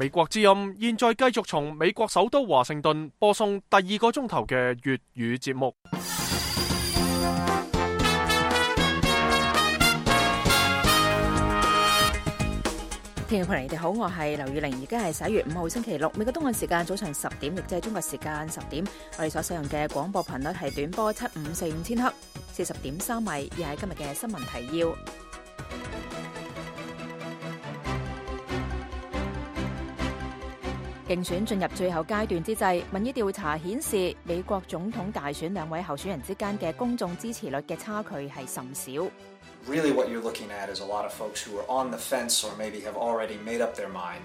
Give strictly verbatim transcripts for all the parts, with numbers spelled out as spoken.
美國之音現在繼續從美國首都華盛頓播送第二個鐘頭嘅粵語節目。聽眾朋友，你哋好，我係劉宇玲，而家係十一月五號星期六，美國東岸時間早上十點，亦即係中國時間十點。我哋所使用嘅廣播頻率係短波七五四五千赫，四十點三米，亦係今日嘅新聞提要。競選進入最後階段之際，民意調查顯示美國總統大選兩位候選人之間嘅公眾支持率嘅差距係甚少。Really what you're looking at is a lot of folks who are on the fence or maybe have already made up their mind,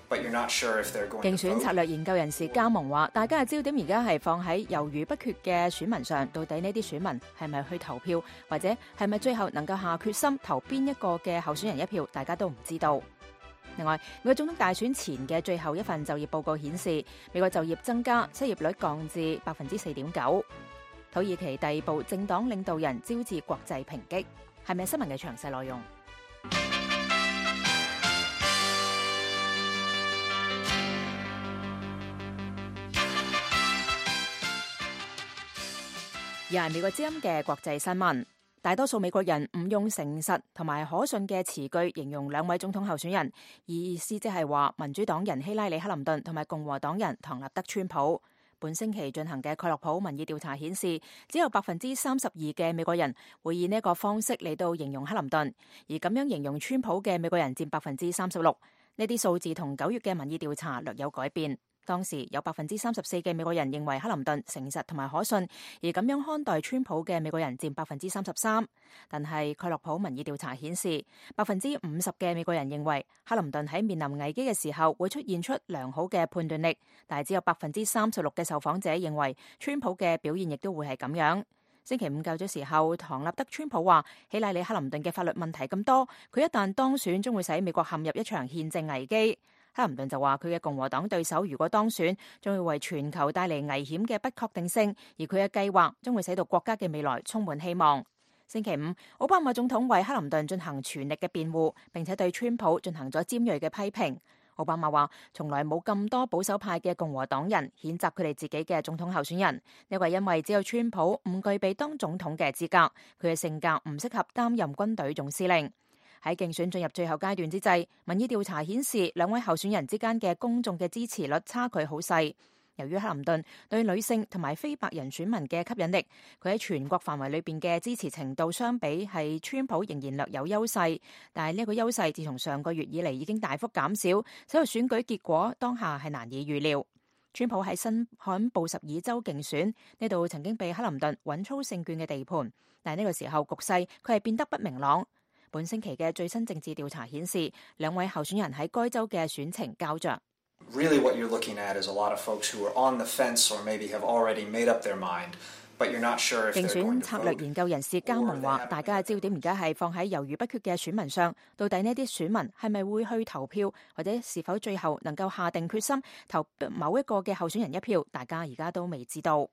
but you're not sure if they're going to vote. 競選策略研究人士加盟話，大家嘅焦點而家係放喺猶豫不決嘅選民上，到底呢啲選民係咪去投票，或者係咪最後能夠下決心投邊一個嘅候選人一票，大家都唔知道。另外，美國總統大選前嘅最後一份就業報告顯示，美國就業增加，失業率降至百分之四點九。土耳其逮捕政黨領導人招致國際抨擊。係咪新聞嘅詳細內容？又係美國之音嘅國際新聞。大多數美國人唔用誠實同埋可信嘅詞句形容兩位總統候選人，意思即係話民主黨人希拉里克林頓同埋共和黨人唐納德川普。本星期進行嘅蓋洛普民意調查顯示，只有百分之三十二嘅美國人會以呢個方式嚟到形容克林頓，而咁樣形容川普嘅美國人佔百分之三十六。呢啲數字同九月嘅民意調查略有改變。當時有百分之三十四嘅美國人認為克林頓誠實同埋可信，而咁樣看待川普嘅美國人佔百分之三十三。但係蓋洛普民意調查顯示，百分之五十嘅美國人認為克林頓喺面臨危機嘅時候會出現出良好嘅判斷力，但係只有百分之三十六嘅受訪者認為川普嘅表現亦都會係咁樣。星期五較早時候，唐納德川普話希拉里克林頓嘅法律問題咁多，佢一旦當選將會使美國陷入一場憲政危機。克林頓就話佢嘅共和黨對手如果當選，將會為全球帶嚟危險嘅不確定性，而佢嘅計劃將會使到國家嘅未來充滿希望。星期五，奧巴馬總統為克林頓進行全力嘅辯護，並且對川普進行咗尖銳嘅批評。奧巴馬話從來冇咁多保守派嘅共和黨人譴責佢哋自己嘅總統候選人，呢個係因為只有川普唔具備當總統嘅資格，佢嘅性格唔適合擔任軍隊總司令。喺競選進入最後階段之際，民意調查顯示兩位候選人之間嘅公眾嘅支持率差距好細。由於克林頓對女性同埋非白人選民嘅吸引力，佢喺全國範圍裏邊嘅支持程度相比係川普仍然略有優勢，但係呢個優勢自從上個月以嚟已經大幅減少，使到選舉結果當下係難以預料。川普喺新罕布什爾州競選呢度曾經被克林頓穩操勝券嘅地盤，但係呢個時候局勢佢係變得不明朗。本星期嘅最新政治調查顯示，兩位候選人喺該州嘅選情膠着。Really what you're looking at is a lot of folks who are on the fence or maybe have already made up their mind, but you're not sure if they're going to vote. 競選策略研究人士加盟話，大家嘅焦點而家係放喺猶豫不決嘅選民上，到底呢啲選民係咪會去投票，或者是否最後能夠下定決心投某一個嘅候選人一票，大家而家都未知道。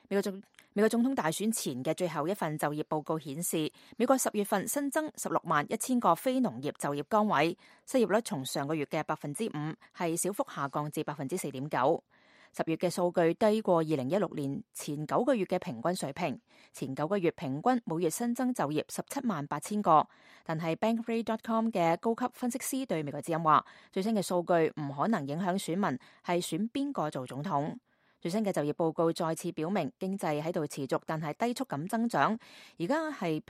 美國總美國總統大選前嘅最後一份就業報告顯示，美國十月份新增十六萬一千個非農業就業崗位，失業率從上個月嘅百分之五係小幅下降至百分之四點九。十月嘅數據低過二零一六年前九個月嘅平均水平，前九個月平均每月新增就業十七萬八千個。但係 Bankrate dot com 嘅高級分析師對美國之音話，最新嘅數據唔可能影響選民係選邊個做總統。最新嘅就業報告再次表明，經濟喺度持續但係低速咁增長，而家係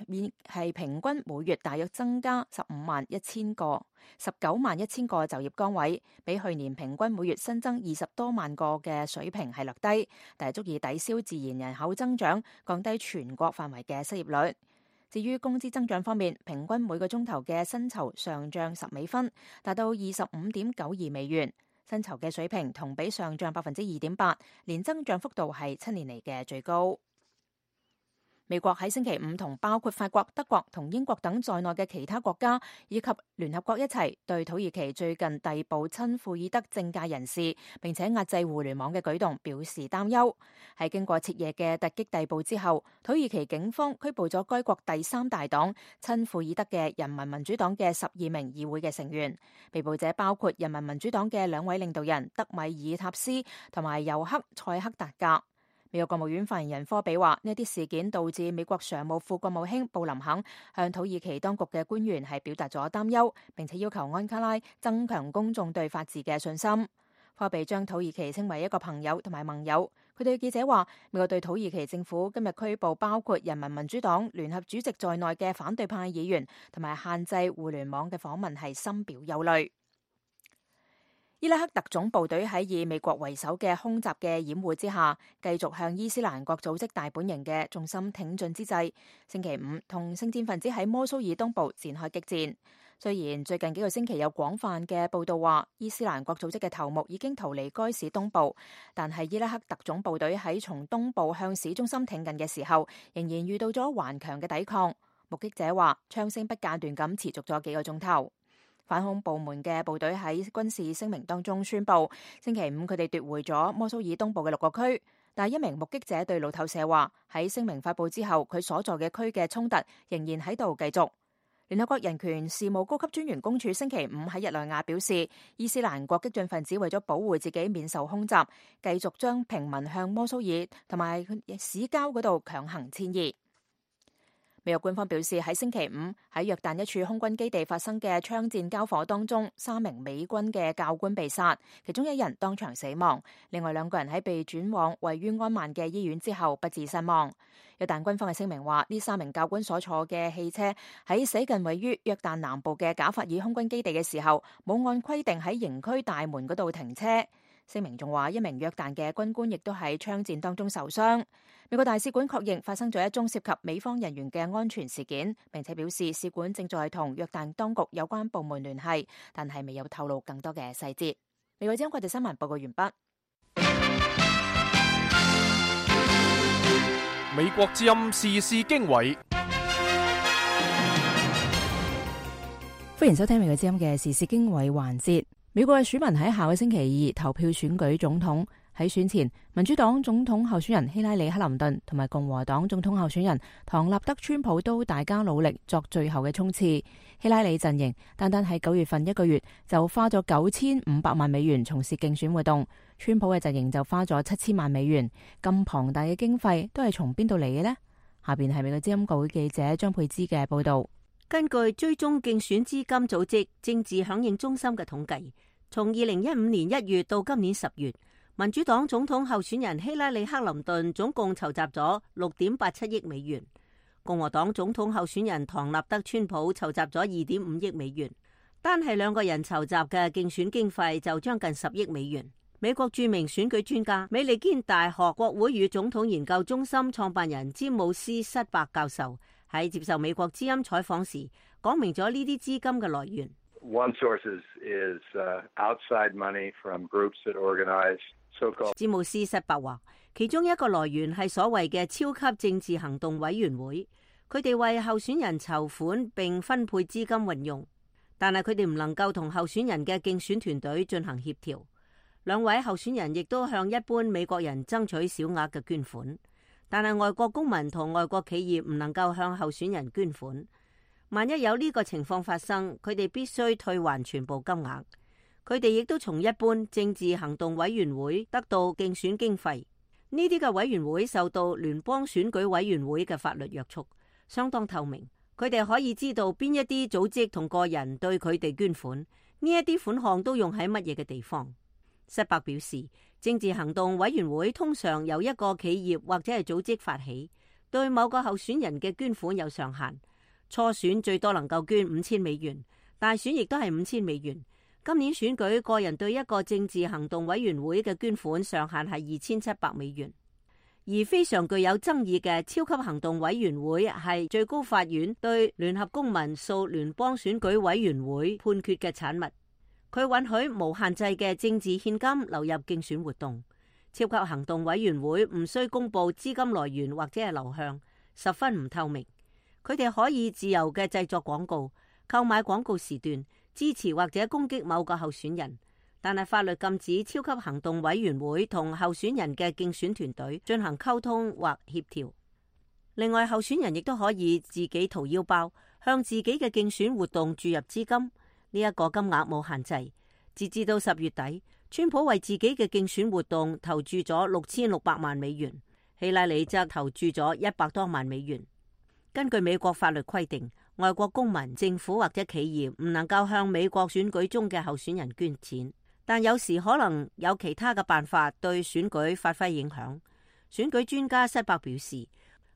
係平均每月大約增加十五萬一千個、十九萬一千個就業崗位，比去年平均每月新增二十多萬個嘅水平係略低，但係足以抵消自然人口增長，降低全國範圍嘅失業率。至於工資增長方面，平均每個鐘頭嘅薪酬上漲十美分，達到二十五點九二美元。薪酬嘅水平同比上漲百分之二點八，年增長幅度係七年嚟嘅最高。美國喺星期五同包括法國、德國同英國等在內嘅其他國家以及聯合國一齊對土耳其最近逮捕親庫爾德政界人士並且壓制互聯網嘅舉動表示擔憂。喺經過徹夜嘅突擊逮捕之後，土耳其警方拘捕咗該國第三大黨親庫爾德嘅人民民主黨嘅十二名議會嘅成員。被捕者包括人民民主黨嘅兩位領導人德米爾塔斯同埋尤克塞克達格。美國國務院發言人科比話：呢啲事件導致美國常務副國務卿布林肯向土耳其當局嘅官員係表達咗擔憂，並且要求安卡拉增強公眾對法治嘅信心。科比將土耳其稱為一個朋友同埋盟友。佢對記者話：美國對土耳其政府今日拘捕包括人民民主黨聯合主席在內嘅反對派議員，同埋限制互聯網嘅訪問係深表憂慮。伊拉克特種部隊喺以美國為首嘅空襲嘅掩護之下，繼續向伊斯蘭國組織大本營嘅重心挺進之際，星期五同聖戰分子喺摩蘇爾東部展開激戰。雖然最近幾個星期有廣泛嘅報道話伊斯蘭國組織嘅頭目已經逃離該市東部，但係伊拉克特種部隊喺從東部向市中心挺進嘅時候，仍然遇到咗頑強嘅抵抗。目擊者話，槍聲不間斷咁持續咗幾個鐘頭。反恐部門嘅部隊喺軍事聲明當中宣布，星期五佢哋奪回咗摩蘇爾東部嘅六個區。但係一名目擊者對路透社話，喺聲明發布之後，佢所在嘅區嘅衝突仍然喺度繼續。聯合國人權事務高級專員公署星期五喺日內瓦表示，伊斯蘭國激進分子為咗保護自己免受空襲，繼續將平民向摩蘇爾同埋市郊嗰度強行遷移。美國官方表示，喺星期五喺約旦一處空軍基地發生嘅槍戰交火當中，三名美軍嘅教官被殺，其中一人當場死亡，另外兩個人喺被轉往位於安曼嘅醫院之後不治身亡。約旦軍方嘅聲明話，呢三名教官所坐嘅汽車喺駛近位於約旦南部嘅賈法爾空軍基地嘅時候，冇按規定喺營區大門嗰度停車。聲明仲話，一名約旦嘅軍官亦都喺槍戰當中受傷。美國大使館確認發生咗一宗涉及美方人員嘅安全事件，並且表示使館正在同約旦當局有關部門聯繫，但係未有透露更多嘅細節。美國之音國際新聞報告完畢。美國之音時事經緯，歡迎收聽美國之音嘅時事經緯環節。美國嘅選民喺下個星期二投票選舉總統。喺選前，民主黨總統候選人希拉里克林頓同埋共和黨總統候選人唐納德川普都大家努力作最後嘅衝刺。希拉里陣營單單喺九月份一個月就花咗九千五百萬美元從事競選活動，川普嘅陣營就花咗七千萬美元。咁龐大嘅經費都係從邊度嚟嘅呢？下邊係美國之音國會記者張佩芝嘅報道。根據追蹤競選資金組織政治響應中心嘅統計，從二零一五年一月到今年十月，民主黨總統候選人希拉里克林頓總共籌集咗六點八七億美元，共和黨總統候選人唐納德川普籌集咗二點五億美元，單係兩個人籌集嘅競選經費就將近十億美元。美國著名選舉專家美利堅大學國會與總統研究中心創辦人詹姆斯塞伯教授喺接受美國之音採訪時，講明咗呢啲資金嘅來源。One source is, is, uh, outside money from groups that organize so-called. 詹姆斯塞伯話，其中一個來源係所謂嘅超級政治行動委員會，佢哋為候選人籌款並分配資金運用，但係佢哋唔能夠同候選人嘅競選團隊進行協調。兩位候選人亦都向一般美國人爭取小額嘅捐款，但係外國公民同外國企業唔能夠向候選人捐款。萬一有呢個情況發生，佢哋必須退還全部金額。佢哋亦都從一般政治行動委員會得到競選經費。呢啲嘅委員會受到聯邦選舉委員會嘅法律約束，相當透明。佢哋可以知道邊一啲組織同個人對佢哋捐款，呢一啲款項都用喺乜嘢嘅地方。塞伯表示，政治行動委員會通常由一個企業或者係組織發起，對某個候選人嘅捐款有上限。初選最多能夠捐五千美元，大選亦都係五千美元。今年選舉個人對一個政治行動委員會嘅捐款上限係二千七百美元。而非常具有爭議嘅超級行動委員會係最高法院對聯合公民訴聯邦選舉委員會判決嘅產物。佢允許無限制嘅政治獻金流入競選活動。超級行動委員會唔需公布資金來源或者係流向，十分唔透明。佢哋可以自由嘅製作廣告、購買廣告時段、支持或者攻擊某個候選人，但係法律禁止超級行動委員會同候選人嘅競選團隊進行溝通或協調。另外，候選人亦都可以自己掏腰包，向自己嘅競選活動注入資金。呢一個金額冇限制。截至到十月底，川普為自己嘅競選活動投注咗六千六百萬美元，希拉里則投注咗一百多萬美元。根據美國法律規定，外國公民、政府或者企業唔能夠向美國選舉中嘅候選人捐錢，但有時可能有其他嘅辦法對選舉發揮影響。選舉專家塞伯表示，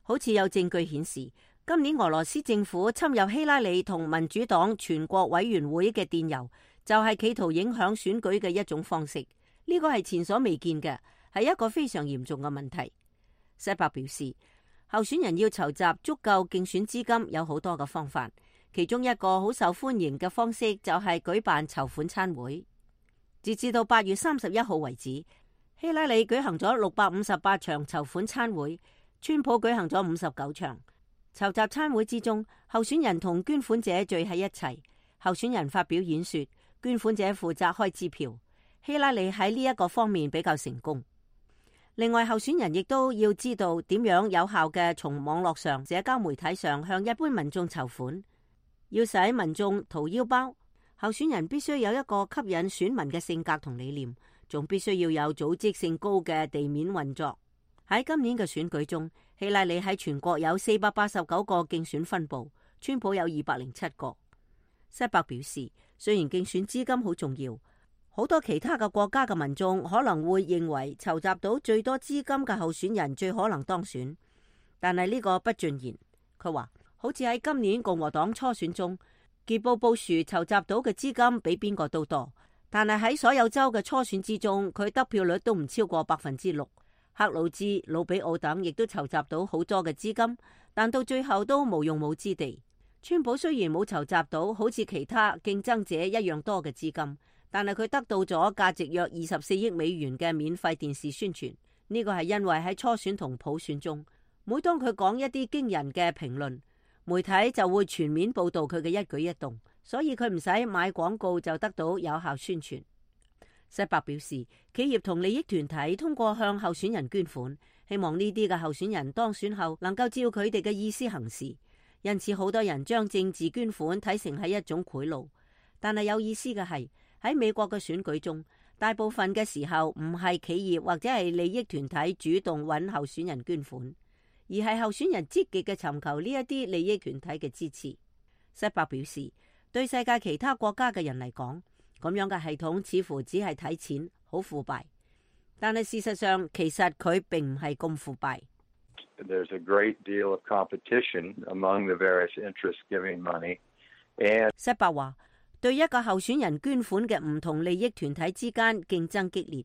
好似有證據顯示，今年俄羅斯政府侵入希拉里同民主黨全國委員會嘅電郵，就係企圖影響選舉嘅一種方式。呢個係前所未見嘅，係一個非常嚴重嘅問題。塞伯表示，候選人要籌集足夠競選資金有好多嘅方法，其中一個好受歡迎嘅方式就係舉辦籌款餐會。截至到八月三十一號為止，希拉里舉行咗六百五十八場籌款餐會，川普舉行咗五十九場。籌集餐會之中，候選人同捐款者聚喺一齊，候選人發表演說，捐款者負責開支票。希拉里喺呢一個方面比較成功。另外，候選人亦都要知道點樣有效嘅從網絡上、社交媒體上向一般民眾籌款。要使民眾掏腰包，候選人必須有一個吸引選民嘅性格同理念，仲必須要有組織性高嘅地面運作。喺今年嘅選舉中，希拉里喺全國有四百八十九個競選分部，川普有二百零七個。塞伯表示，雖然競選資金好重要，好多其他嘅國家嘅民眾可能會認為籌集到最多資金嘅候選人最可能當選，但係呢個不盡然。佢話，好似喺今年共和黨初選中，傑布布殊籌集到嘅資金比邊個都多，但係喺所有州嘅初選之中，佢得票率都唔超過百分之六。克魯茲、魯比奧等亦都籌集到好多嘅資金，但到最後都無用武之地。川普雖然冇籌集到好似其他競爭者一樣多嘅資金，但係佢得到咗價值約二十四億美元嘅免費電視宣傳。呢個係因為喺初選同普選中，每當佢講一啲驚人嘅評論，媒體就會全面報道佢嘅一舉一動，所以佢唔使買廣告就得到有效宣傳。塞伯表示，企業同利益團體通過向候選人捐款，希望呢啲嘅候選人當選後能夠照佢哋嘅意思行事。因此，好多人將政治捐款睇成係一種賄賂。但係有意思嘅係，喺美國嘅選舉中，大部分嘅時候唔係企業或者係利益團體主動揾候選人捐款，而係候選人積極嘅尋求呢一啲利益團體嘅支持。塞伯表示，對世界其他國家嘅人嚟講，咁樣嘅系統似乎只係睇錢，好腐敗。但係事實上，其實佢並唔係咁腐敗。There's a great deal of competition among the various interests giving money. And 塞伯話，對一個候選人捐款嘅唔同利益團體之間競爭激烈。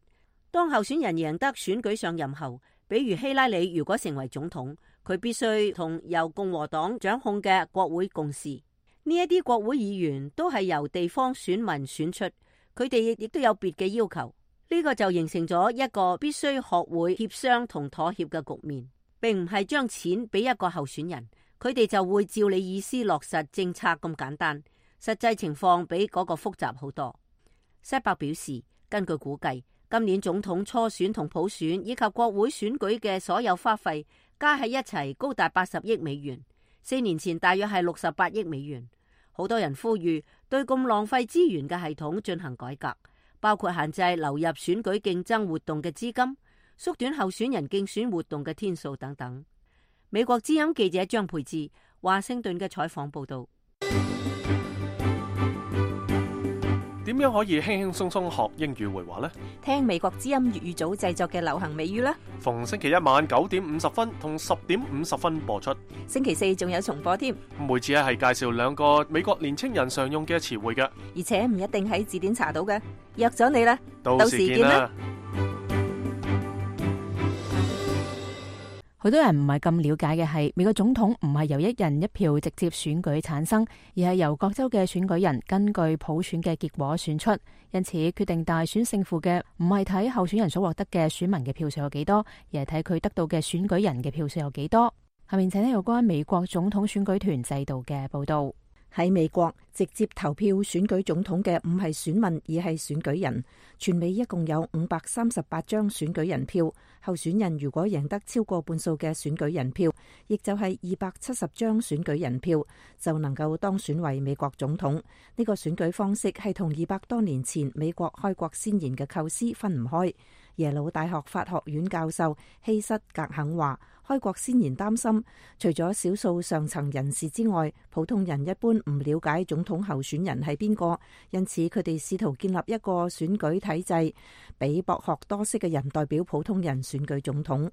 當候選人贏得選舉上任後，比如希拉里如果成為總統，佢必須同由共和黨掌控嘅國會共事。呢一啲國會議員都係由地方選民選出，佢哋亦都有別嘅要求。呢個就形成咗一個必須學會協商同妥協嘅局面，並唔係將錢俾一個候選人，佢哋就會照你意思落實政策咁簡單。實際情況比嗰個複雜好多。塞伯表示，根據估計，今年總統初選同普選以及國會選舉嘅所有花費加喺一齊高達八十億美元，四年前大約係六十八億美元。好多人呼籲對咁浪費資源嘅系統進行改革，包括限制流入選舉競爭活動嘅資金，縮短候選人競選活動嘅天數等等。美國之音記者張佩芝華盛頓嘅採訪報道。點樣可以輕輕鬆鬆學英語會話呢？聽美國之音粵語組製作嘅流行美語啦。逢星期一晚九點五十分同十點五十分播出。星期四仲有重播添。每次咧係介紹兩個美國年青人常用嘅詞彙嘅，而且唔一定喺字典查到嘅。約咗你啦，到時見啦。好多人唔係咁了解嘅係，美國總統唔係由一人一票直接選舉產生，而係由各州嘅選舉人根據普選嘅結果選出。因此，決定大選勝負嘅唔係睇候選人所獲得嘅選民嘅票數有幾多，而係睇佢得到嘅選舉人嘅票數有幾多。下面請聽有關美國總統選舉團制度嘅報道。喺美國，直接投票選舉總統嘅唔係選民，而係選舉人。全美一共有五百三十八張選舉人票，候選人如果贏得超過半數嘅選舉人票，亦就係二百七十張選舉人票，就能夠當選為美國總統。呢個選舉方式係同二百多年前美國開國先賢嘅構思分唔開。耶魯大學法學院教授希瑟格肯話，開國先賢擔心，除咗少數上層人士之外，普通人一般唔了解總統候選人係邊個，因此佢哋試圖建立一個選舉體制，俾博學多識嘅人代表普通人選舉總統。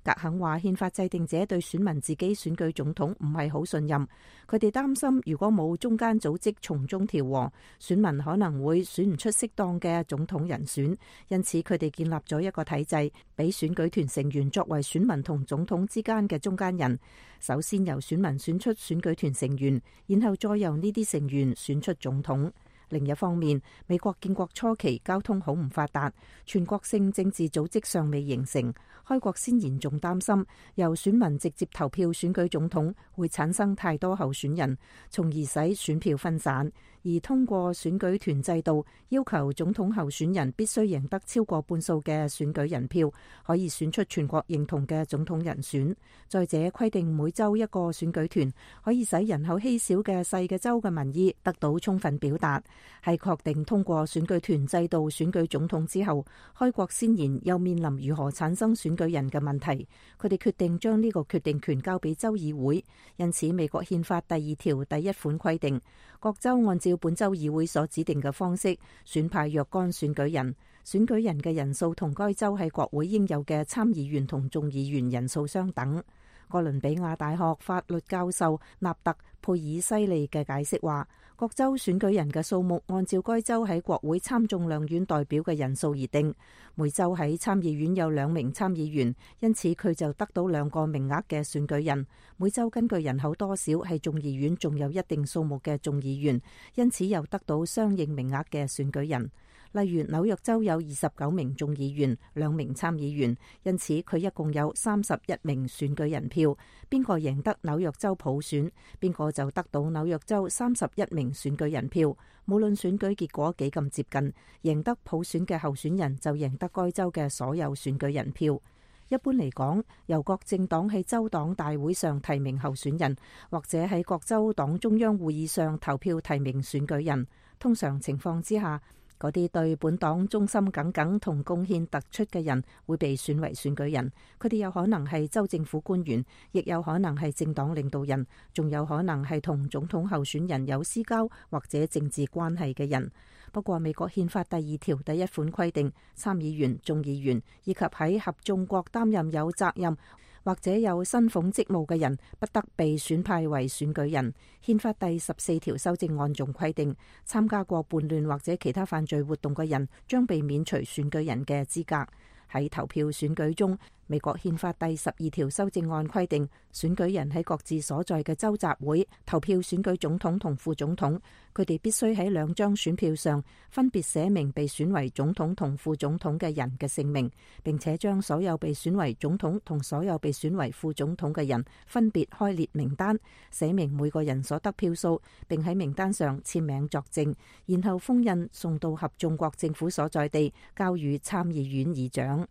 格肯話，憲法制定者對選民自己選舉總統唔係好信任，佢哋擔心如果冇中間組織從中調和，選民可能會選唔出適當嘅總統人選，因此佢哋建立咗一個體制，俾選舉團成員作為選民同總統之間嘅中間人。首先由選民選出選舉團成員，然後再由呢啲成員選出總統。另一方面，美國建國初期交通好唔發達，全國性政治組織尚未形成。開國先賢仲擔心由選民直接投票選舉總統會產生太多候選人，從而使選票分散。而通過選舉團制度，要求總統候選人必須贏得超過半數嘅選舉人票，可以選出全國認同嘅總統人選。再者，規定每州一個選舉團，可以使人口稀少嘅細嘅州嘅民意得到充分表達。喺確定通過選舉團制度選舉總統之後，開國先賢又面臨如何產生選舉人嘅問題。佢哋決定將呢個決定權交俾州議會，因此美國憲法第二條第一款規定，各州按照本州議會所指定嘅方式選派若干選舉人，選舉人嘅人數同該州喺國會應有嘅參議員同眾議員人數相等。哥倫比亞大學法律教授納特佩爾西利嘅解釋話，各州選舉人嘅數目按照該州喺國會參眾兩院代表嘅人數而定。每州喺參議院有兩名參議員，因此佢就得到兩個名額嘅選舉人。每州根據人口多少喺眾議院仲有一定數目嘅眾議員，因此又得到相應名額嘅選舉人。例如紐約州有二十九名眾議員，兩名參議員，因此佢一共有三十一名選舉人票。邊個贏得紐約州普選，邊個就得到紐約州三十一名選舉人票。無論選舉結果幾咁接近，贏得普選嘅候選人就贏得該州嘅所有選舉人票。一般嚟講，由各政黨喺州黨大會上提名候選人，或者喺各州黨中央會議上投票提名選舉人。通常情況之下，嗰啲對本黨忠心耿耿同貢獻突出嘅人會被選為選舉人。佢哋有可能係州政府官員，亦有可能係政黨領導人，仲有可能係同總統候選人有私交或者政治關係嘅人。不過美國憲法第二條第一款規定，參議員、眾議員以及喺合眾國擔任有責任或者有薪俸職務嘅人，不得被選派為選舉人。憲法第十四條修正案仲規定，參加過叛亂或者其他犯罪活動嘅人將被免除選舉人嘅資格。喺投票選舉中，美國憲法第十二條修正案規定，選舉人喺各自所在嘅州集會投票選舉總統同副總統，佢哋必須喺兩張選票上分別寫明被選為總統同副總統嘅人嘅姓名，並且將所有被選為總統同所有被選為副總統嘅人分別開列名單，寫明每個人所得票數，並喺名單上簽名作證，然後封印送到合眾國政府所在地，交予參議院議長。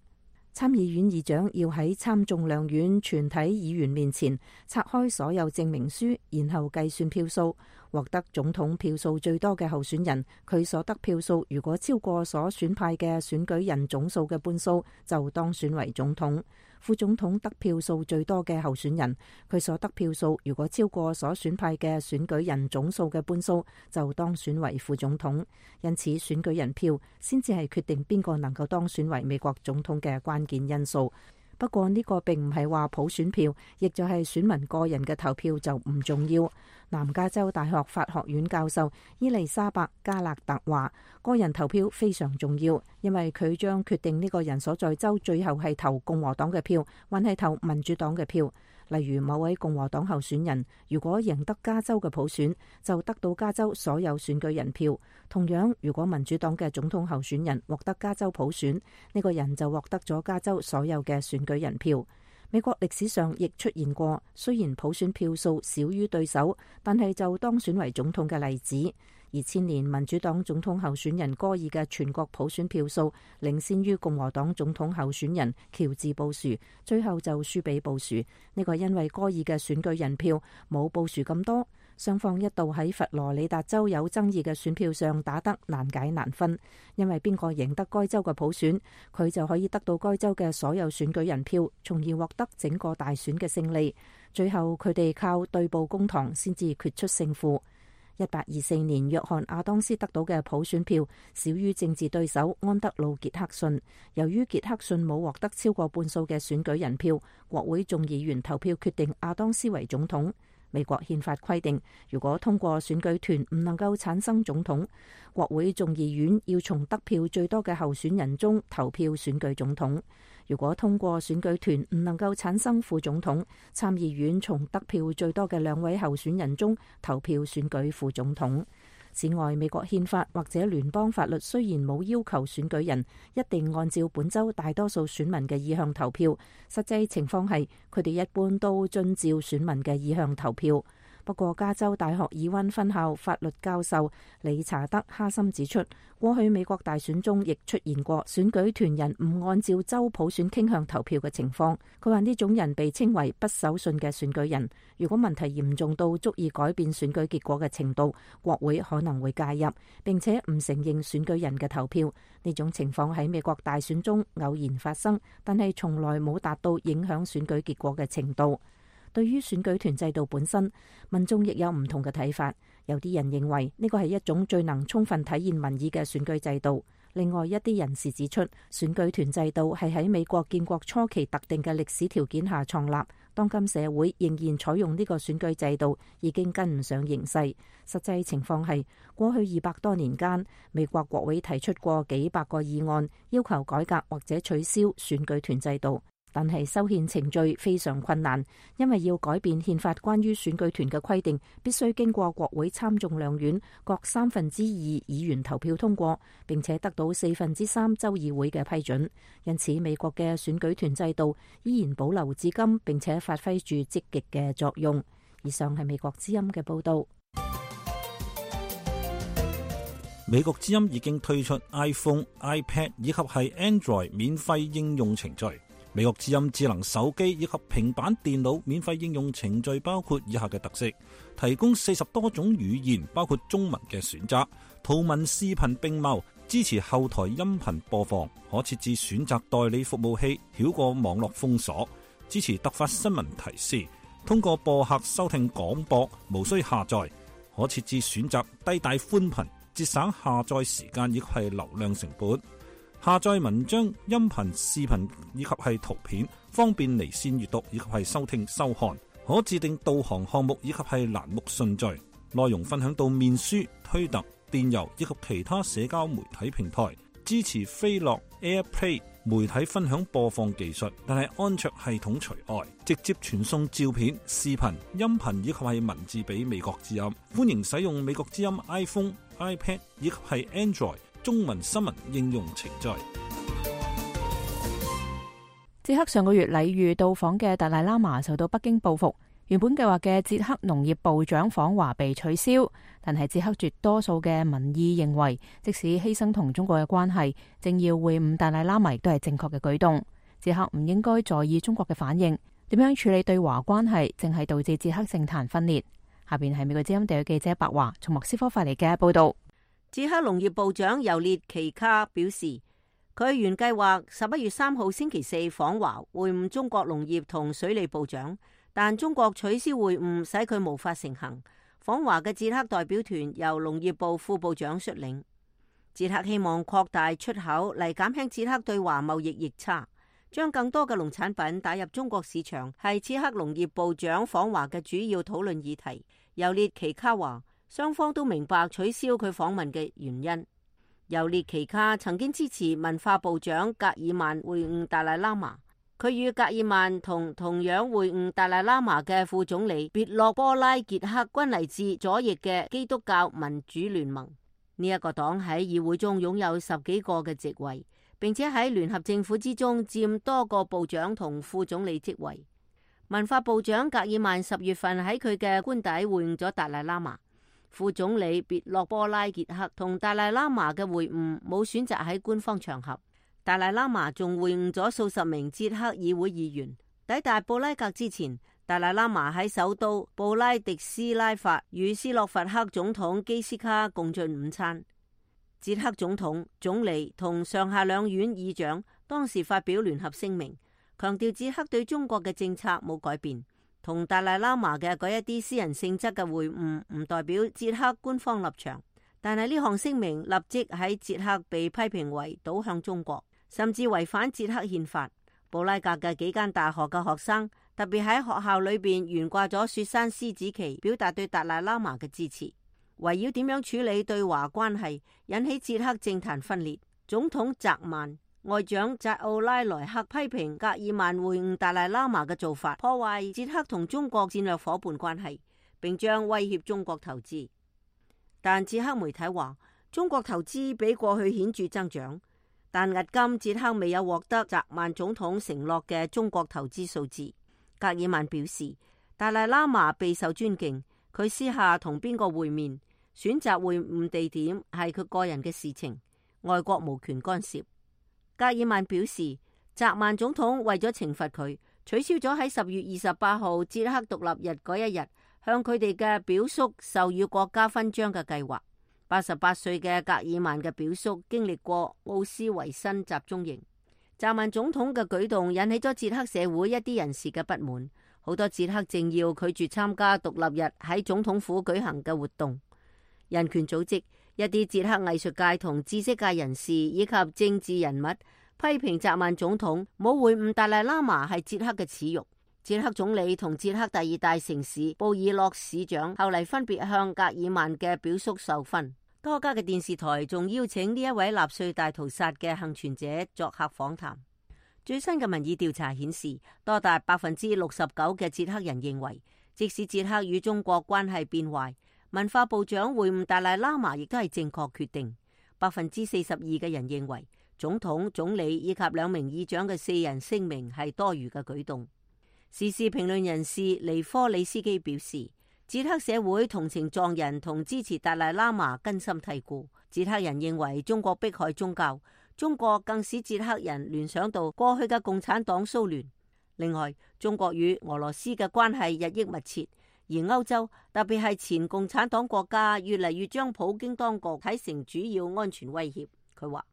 參議院議長要喺參眾兩院全體議員面前拆開所有證明書，然後計算票數。獲得總統票數最多嘅候選人，佢所得票數如果超過所選派嘅選舉人總數嘅半數，就當選為總統。副總統得票數最多嘅候選人，佢所得票數如果超過所選派嘅選舉人總數嘅半數，就當選為副總統。因此，選舉人票先至係決定邊個能夠當選為美國總統嘅關鍵因素。不過呢個並唔係話普選票，亦就係選民個人嘅投票就唔重要。南加州大學法學院教授伊麗莎白加勒特話，個人投票非常重要，因為佢將決定呢個人所在州最後係投共和黨嘅票，還係投民主黨嘅票。例如某位共和黨候選人如果贏得加州嘅普選，就得到加州所有選舉人票。同樣，如果民主黨嘅總統候選人獲得加州普選，呢個人就獲得咗加州所有嘅選舉人票。美國歷史上亦出現過，雖然普選票數少於對手，但係就當選為總統嘅例子。二千年民主黨總統候選人戈爾嘅全國普選票數領先於共和黨總統候選人喬治布殊，最後就輸俾布殊。呢個因為戈爾嘅選舉人票冇布殊咁多。雙方一度喺佛羅里達州有爭議嘅選票上打得難解難分，因為邊個贏得該州嘅普選，佢就可以得到該州嘅所有選舉人票，從而獲得整個大選嘅勝利。最後佢哋靠對簿公堂先至決出勝負。一八二四年，約翰亞當斯得到嘅普選票少於政治對手安德魯傑克遜。由於傑克遜冇獲得超過半數嘅選舉人票，國會眾議員投票決定亞當斯為總統。美國憲法規定，如果通過選舉團唔能夠產生總統，國會眾議院要從得票最多嘅候選人中投票選舉總統。如果通過選舉團唔能夠產生副總統，參議院從得票最多嘅兩位候選人中投票選舉副總統。此外，美國憲法或者聯邦法律雖然冇要求選舉人一定按照本州大多數選民嘅意向投票，實際情況係佢哋一般都遵照選民嘅意向投票。不過，加州大學爾溫分校法律教授理查德哈森指出，過去美國大選中亦出現過選舉團人唔按照州普選傾向投票嘅情況。佢話呢種人被稱為不守信嘅選舉人。如果問題嚴重到足以改變選舉結果嘅程度，國會可能會介入，並且唔承認選舉人嘅投票。呢種情況喺美國大選中偶然發生，但係從來冇達到影響選舉結果嘅程度。對於選舉團制度本身，民眾亦有唔同嘅睇法。有啲人認為呢個係一種最能充分體現民意嘅選舉制度。另外一啲人士指出，選舉團制度係喺美國建國初期特定嘅歷史條件下創立。當今社會仍然採用呢個選舉制度，已經跟唔上形勢。實際情況係，過去二百多年間，美國國會提出過幾百個議案，要求改革或者取消選舉團制度。但係修憲程序非常困難，因為要改變憲法關於選舉團嘅規定，必須經過國會參眾兩院各三分之二議員投票通過，並且得到四分之三州議會嘅批准。因此，美國嘅選舉團制度依然保留至今，並且發揮住積極嘅作用。以上係美國之音嘅報道。美國之音已經推出 iPhone、iPad 以及係 Android 免費應用程序。美國之音智能手機以及平板電腦免費應用程序包括以下嘅特色：提供四十多種語言，包括中文嘅選擇，圖文視頻並茂，支持後台音頻播放，可設置選擇代理服務器，繞過網絡封鎖，支持突發新聞提示，通過播客收聽廣播，無需下載，可設置選擇低帶寬頻，節省下載時間以及係流量成本。下載文章、音頻、視頻以及係圖片，方便離線閱讀以及係收聽收看。可自定導航項目以及係欄目順序，內容分享到面書、推特、電郵以及其他社交媒體平台。支持飛樂 AirPlay 媒體分享播放技術，但係安卓系統除外。直接傳送照片、視頻、音頻以及係文字俾美國之音。歡迎使用美國之音 iPhone、iPad 以及係 Android中文新聞應用程序。捷克上個月禮遇到訪嘅達賴喇嘛受到北京報復，原本計劃嘅捷克農業部長訪華被取消，但係捷克絕多數嘅民意認為，即使犧牲同中國嘅關係，政要會晤達賴喇嘛都係正確嘅舉動。捷克唔應該在意中國嘅反應，點樣處理對華關係，正係導致捷克政壇分裂。下邊係美國之音地區記者白華從莫斯科發嚟嘅報道。捷克農業部長尤列奇卡表示，佢原計劃十一月三號星期四訪華會晤中國農業同水利部長，但中國取消會晤，使佢無法成行。訪華嘅捷克代表團由農業部副部長率領。捷克希望擴大出口嚟減輕捷克對華貿易逆差，將更多嘅農產品打入中國市場，係捷克農業部長訪華嘅主要討論議題。尤列奇卡話，雙方都明白取消佢訪問嘅原因。尤列奇卡曾經支持文化部長格爾曼會晤達賴喇嘛，佢與格爾曼同同樣會晤達賴喇嘛嘅副總理別洛波拉傑克均嚟自左翼嘅基督教民主聯盟。呢、這、一個黨喺議會中擁有十幾個嘅席位，並且喺聯合政府之中佔多個部長同副總理職位。文化部長格爾曼十月份喺佢嘅官邸會晤咗達賴喇嘛。副總理別洛波拉傑克同達賴喇嘛嘅會晤冇選擇喺官方場合。達賴喇嘛仲會晤咗數十名捷克議會議員。抵達布拉格之前，達賴喇嘛喺首都布拉迪斯拉法與斯洛伐克總統基斯卡共進午餐。捷克總統、總理同上下兩院議長當時發表聯合聲明，強調捷克對中國嘅政策冇改變。同達賴喇嘛嘅嗰一啲私人性質嘅會晤唔代表捷克官方立場，但係呢項聲明立即喺捷克被批評為倒向中國，甚至違反捷克憲法。布拉格嘅幾間大學嘅學生特別喺學校裏邊懸掛咗雪山獅子旗，表達對達賴喇嘛嘅支持。圍繞點樣處理對華關係，引起捷克政壇分裂。總統澤曼、外長扎奧拉萊克批評格爾曼會晤達賴喇嘛嘅做法破壞捷克同中國戰略夥伴關係，並將威脅中國投資。但捷克媒體話，中國投資比過去顯著增長，但迄今捷克未有獲得澤曼總統承諾嘅中國投資數字。格爾曼表示，達賴喇嘛備受尊敬，佢私下同邊個會面，選擇會晤地點係佢個人嘅事情，外國無權干涉。格爾曼表示，澤曼總統為咗懲罰佢，取消咗喺十月二十八號捷克獨立日嗰一日向佢哋嘅表叔授予國家勳章嘅計劃。八十八歲嘅格爾曼嘅表叔經歷過奧斯維辛集中營。澤曼總統嘅舉動引起咗捷克社會一啲人士嘅不滿，好多捷克政要拒絕參加獨立日喺總統府舉行嘅活動。人權組織、一啲捷克藝術界同知識界人士以及政治人物批評澤曼總統冇會晤達賴喇嘛係捷克嘅恥辱。捷克總理同捷克第二大城市布爾諾市長後嚟分別向格爾曼嘅表叔授勳。多家嘅電視台仲邀請呢一位納粹大屠殺嘅幸存者作客訪談。最新嘅民意調查顯示，多達百分之六十九嘅捷克人認為，即使捷克與中國關係變壞，文化部長會晤達賴喇嘛亦都係正確決定。百分之四十二嘅人認為總統、總理以及兩名議長嘅四人聲明係多餘嘅舉動。時事評論人士尼科里斯基表示，捷克社會同情藏人同支持達賴喇嘛根深蒂固。捷克人認為中國迫害宗教，中國更使捷克人聯想到過去嘅共產黨蘇聯。另外，中國與俄羅斯嘅關係日益密切。而歐洲，特別係前共產黨國家，越嚟越將普京當局睇成主要安全威脅。佢話：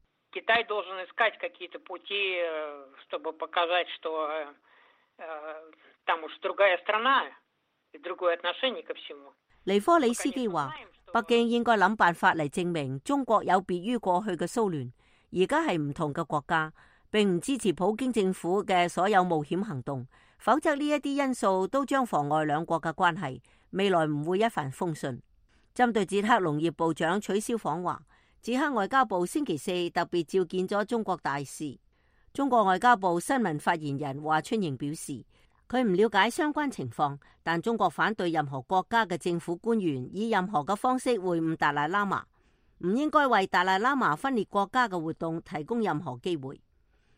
尼科里斯基話，北京應該諗辦法嚟證明中國有別於過去嘅蘇聯，而家係唔同嘅國家，並唔支持普京政府嘅所有冒險行動。否則呢一啲因素都將妨礙兩國嘅關係，未來唔會一帆風順。針對捷克農業部長取消訪華，捷克外交部星期四特別召見咗中國大使。中國外交部新聞發言人華春瑩表示，佢唔了解相關情況，但中國反對任何國家嘅政府官員以任何嘅方式會晤達賴喇嘛，唔應該為達賴喇嘛分裂國家嘅活動提供任何機會。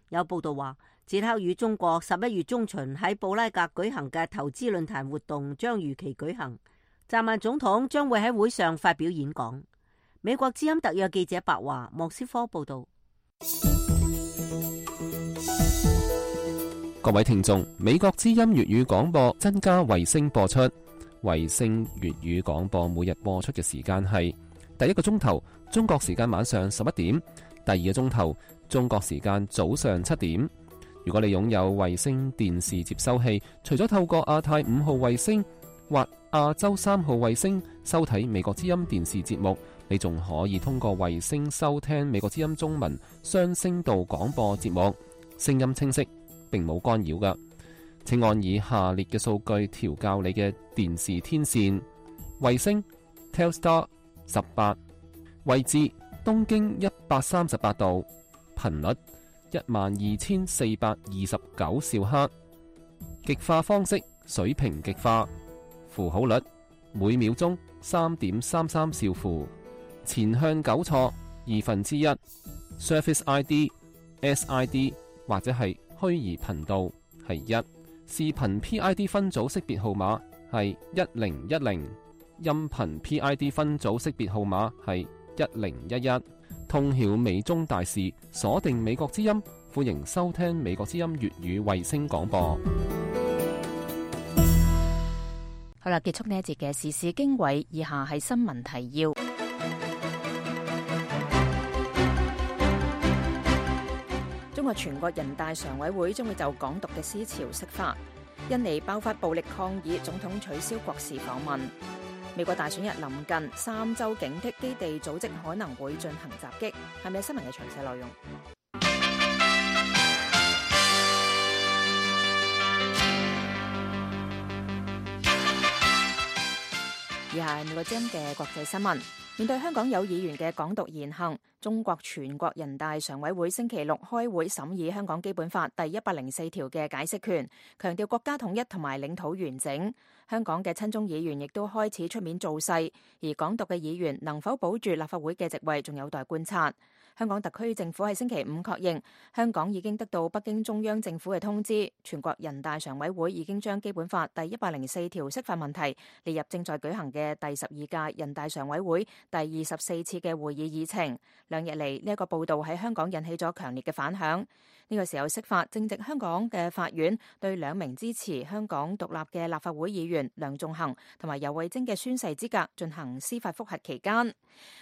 有報道話，捷克與中國十一月中旬喺布拉格舉行嘅投資論壇活動將如期舉行，澤曼總統將會喺會上發表演講。美國之音特約記者白華莫斯科報道。各位聽眾，美國之音粵語廣播增加衛星播出，衛星粵語廣播每日播出嘅時間係第一個鐘頭中國時間晚上十一點，第二個鐘頭中國時間早上七點。如果你擁有衛星電視接收器，除咗透過亞太五號衛星或亞洲三號衛星收睇美國之音電視節目，你仲可以通過衛星收聽美國之音中文雙聲道廣播節目，聲音清晰，並冇干擾㗎。請按以下列嘅數據調校你嘅電視天線：衛星 Telstar 十八，位置東經一百三十八度，頻率一萬二千四百二十九兆赫，極化方式水平極化，符號率每秒鐘三點三三兆符，前向糾錯二分之一 ，Surface I D S I D 或者係虛擬頻道係一，視頻 P I D 分組識別號碼係一零一零，音頻 P I D 分組識別號碼係一零一一。通曉美中大事，鎖定美國之音，歡迎收聽美國之音粵語衛星廣播。好啦，結束呢一節嘅時事經緯，以下係新聞提要。中國全國人大常委會將會就港獨嘅思潮釋法。印尼爆發暴力抗議，總統取消國事訪問。美國大選日臨近，三州警惕基地組織可能會進行襲擊。係咪新聞嘅詳細內容？以下係美國之音嘅國際新聞。面對香港有議員嘅港獨言行，中國全國人大常委會星期六開會審議香港基本法第一百零四條嘅解釋權，強調國家統一同埋領土完整。香港嘅親中議員亦都開始出面造勢，而港獨嘅議員能否保住立法會嘅席位，仲有待觀察。香港特區政府喺星期五確認，香港已經得到北京中央政府嘅通知，全國人大常委會已經將基本法第一百零四條釋法問題列入正在舉行嘅第十二屆人大常委會第二十四次嘅會議議程。兩日嚟，呢一個報道喺香港引起咗強烈嘅反響。呢個時候釋法正值香港嘅法院對兩名支持香港獨立嘅立法會議員梁頌恆同埋游蕙禎嘅宣誓資格進行司法覆核期間。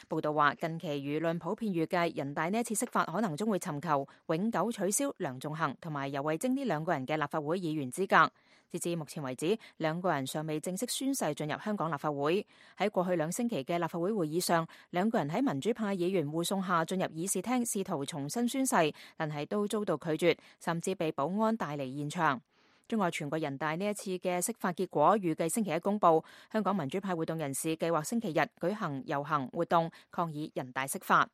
報道話，近期輿論普遍預計人大呢一次釋法可能將會尋求永久取消梁頌恆同埋游蕙禎呢兩個人嘅立法會議員資格。截至目前為止，兩個人尚未正式宣誓進入香港立法會。喺過去兩星期嘅立法會會議上，兩個人喺民主派議員護送下進入議事廳，試圖重新宣誓，但係都遭到拒絕，甚至被保安帶離現場。中國全國人大呢一次嘅釋法結果預計星期一公佈。香港民主派活動人士計劃星期日舉行遊行活動，抗議人大釋法。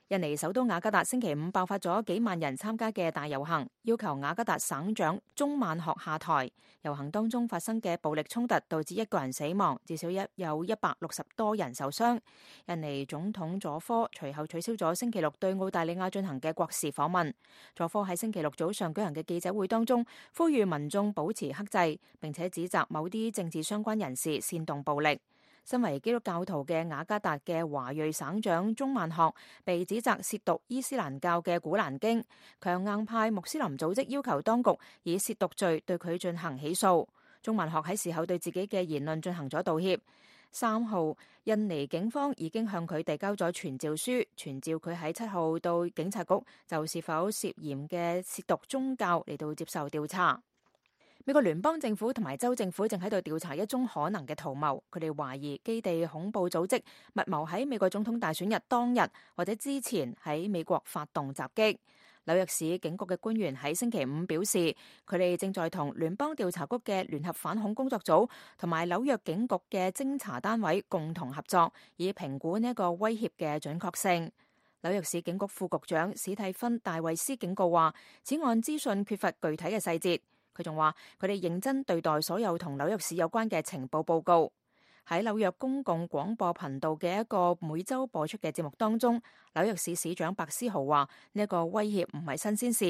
印尼首都雅加達星期五爆發咗幾萬人參加嘅大遊行，要求雅加達省長中曼學下台。遊行當中發生嘅暴力衝突導致一個人死亡，至少一有一百六十多人受傷。印尼總統佐科隨後取消咗星期六對澳大利亞進行嘅國事訪問。佐科喺星期六早上舉行嘅記者會當中，呼籲民眾保持克制，並且指責某啲政治相關人士煽動暴力。身為基督教徒嘅雅加達嘅華裔省長中曼學被指責褻瀆伊斯蘭教嘅古蘭經，強硬派穆斯林組織要求當局以褻瀆罪對佢進行起訴。中曼學喺事後對自己嘅言論進行咗道歉。三號，印尼警方已經向佢遞交咗傳召書，傳召佢喺七號到警察局就是否涉嫌嘅褻瀆宗教嚟到接受調查。美國聯邦政府同埋州政府正喺度調查一宗可能嘅圖謀，佢哋懷疑基地恐怖組織密謀喺美國總統大選日當日或者之前喺美國發動襲擊。紐約市警局嘅官員喺星期五表示，佢哋正在同聯邦調查局嘅聯合反恐工作組同埋紐約警局嘅偵查單位共同合作，以評估呢一個威脅嘅準確性。紐約市警局副局長史蒂芬戴維斯警告話，此案資訊缺乏具體嘅細節。佢仲話，佢哋認真對待所有同紐約市有關嘅情報報告。喺紐約公共廣播頻道嘅一個每週播出嘅節目當中，紐約市市長白思豪話：呢一個威脅唔係新鮮事。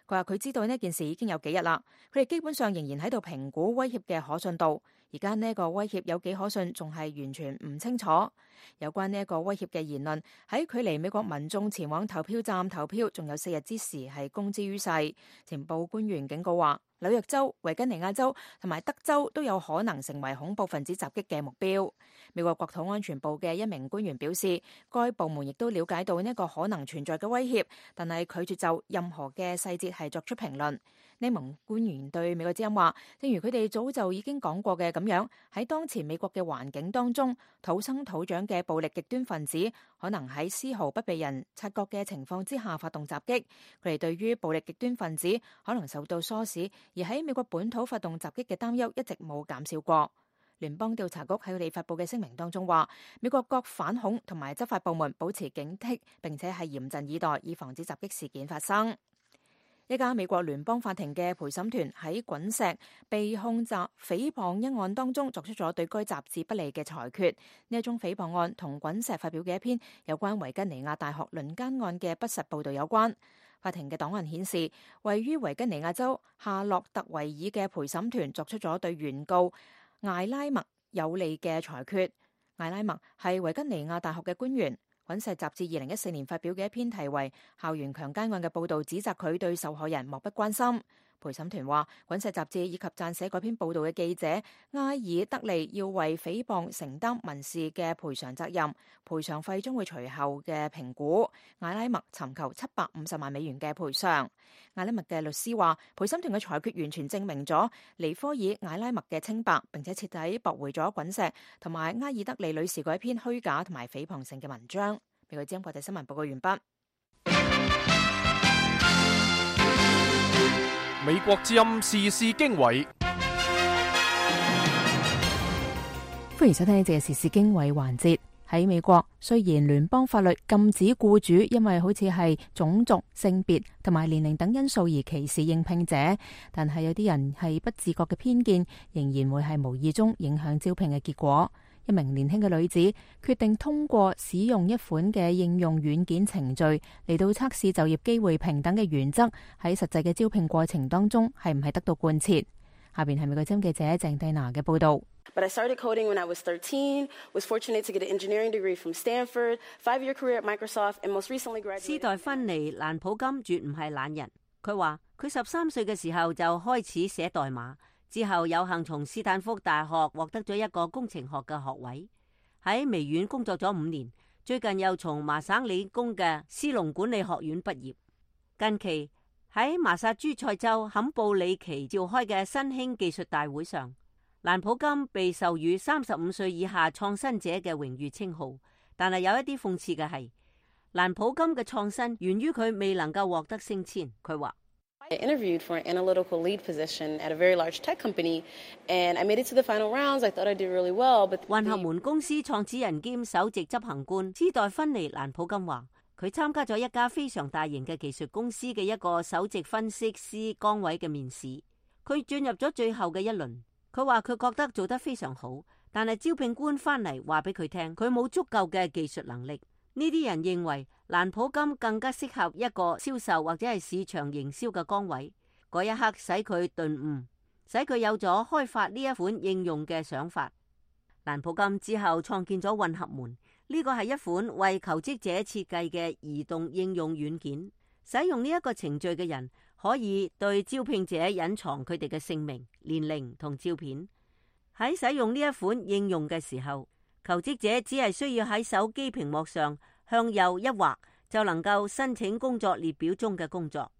佢話佢知道呢件事已經有幾日啦，佢哋基本上仍然喺度評估威脅嘅可信度。而家呢一個威脅有幾可信，仲係完全唔清楚。有關呢一個威脅嘅言論，喺距離美國民眾前往投票站投票仲有四日之時係公之於世。情報官員警告話，紐約州、維吉尼亞州同埋德州都有可能成為恐怖分子襲擊嘅目標。美國國土安全部嘅一名官員表示，該部門亦都了解到呢一個可能存在嘅威脅，但係拒絕就任何嘅細節係作出評論。呢名官員對美國之音話，正如佢哋早就已經講過嘅咁樣，喺當前美國嘅環境當中，土生土長嘅暴力極端分子可能喺絲毫不被人察覺嘅情況之下發動襲擊。佢哋對於暴力極端分子可能受到唆使而喺美國本土發動襲擊嘅擔憂一直冇減少過。聯邦調查局喺佢哋發佈嘅聲明當中話，美國各反恐同埋執法部門保持警惕，並且係嚴陣以待，以防止襲擊事件發生。一家美國聯邦法庭嘅陪審團喺滾石被控襲誹謗一案當中作出咗對該雜誌不利嘅裁決。呢一宗誹謗案同滾石發表嘅一篇有關維吉尼亞大學輪姦案嘅不實報導有關。法庭嘅檔案顯示，位於維吉尼亞州夏洛特維爾嘅陪審團作出咗對原告艾拉默有利嘅裁決。艾拉默係維吉尼亞大學嘅官員。滾石雜誌二零一四年發表嘅一篇題為《校園強姦案》嘅報導，指責佢對受害人漠不關心。陪審團話，滾石雜誌以及撰寫該篇報導嘅記者埃爾德利要為誹謗承擔民事嘅賠償責任，賠償費將會隨後嘅評估。艾拉默尋求七百五十萬美元嘅賠償。艾拉默嘅律師話，陪審團嘅裁決完全證明咗尼科爾艾拉默嘅清白，並且徹底駁回咗滾石同埋埃爾德利女士嗰一篇虛假同埋誹謗性嘅文章。美國之音國際新聞報告完畢。美國之音時事經緯，歡迎收聽呢節嘅時事經緯環節。喺美國，雖然聯邦法律禁止僱主因為好似係種族、性別同埋年齡等因素而歧視應聘者，但係有啲人係不自覺嘅偏見，仍然會係無意中影響招聘嘅結果。一名年輕嘅女子決定通過使用一款嘅應用軟件程序嚟到測試就業機會平等嘅原則喺實際嘅招聘過程當中係唔係得到貫徹。下邊係美國之音記者鄭蒂娜嘅報道。But I started coding when I was thirteen, was fortunate to get an engineering degree from Stanford, five-year career at Microsoft, and most recently graduated. 斯代芬妮·蘭普金絕唔係懶人，佢話佢十三歲嘅時候就開始寫代碼。之後有幸從斯坦福大學獲得咗一個工程學嘅學位，喺微軟工作咗五年，最近又從麻省理工嘅斯隆管理學院畢業。近期喺麻薩諸塞州坎布里奇召開嘅新興技術大會上，蘭普金被授予三十五歲以下創新者嘅榮譽稱號，但係有一啲諷刺嘅係，蘭普金嘅創新源於佢未能夠獲得升遷。佢話I interviewed for an analytical lead position at a very large tech company, and I made it to the final rounds. I thought I did really well, but 混合門公司創始人兼首席執行官斯代芬妮·蘭普金話，佢參加咗一家非常大型嘅技術公司嘅一個首席分析師崗位嘅面試，佢進入咗最後嘅一輪。佢話佢覺得做得非常好，但係招聘官翻嚟話俾佢聽，佢冇足夠嘅技術能力。呢啲人認為蘭普金更加適合一個銷售或者係市場營銷嘅崗位。嗰一刻使佢頓悟，使佢有咗開發呢一款應用嘅想法。蘭普金之後創建咗混合門，呢個係一款為求職者設計嘅移動應用軟件。使用呢一個程序嘅人可以對招聘者隱藏佢哋嘅姓名、年齡同照片。喺使用呢一款應用嘅時候，求職者只係需要喺手機屏幕上向右一劃，就能夠申請工作列表中嘅工作。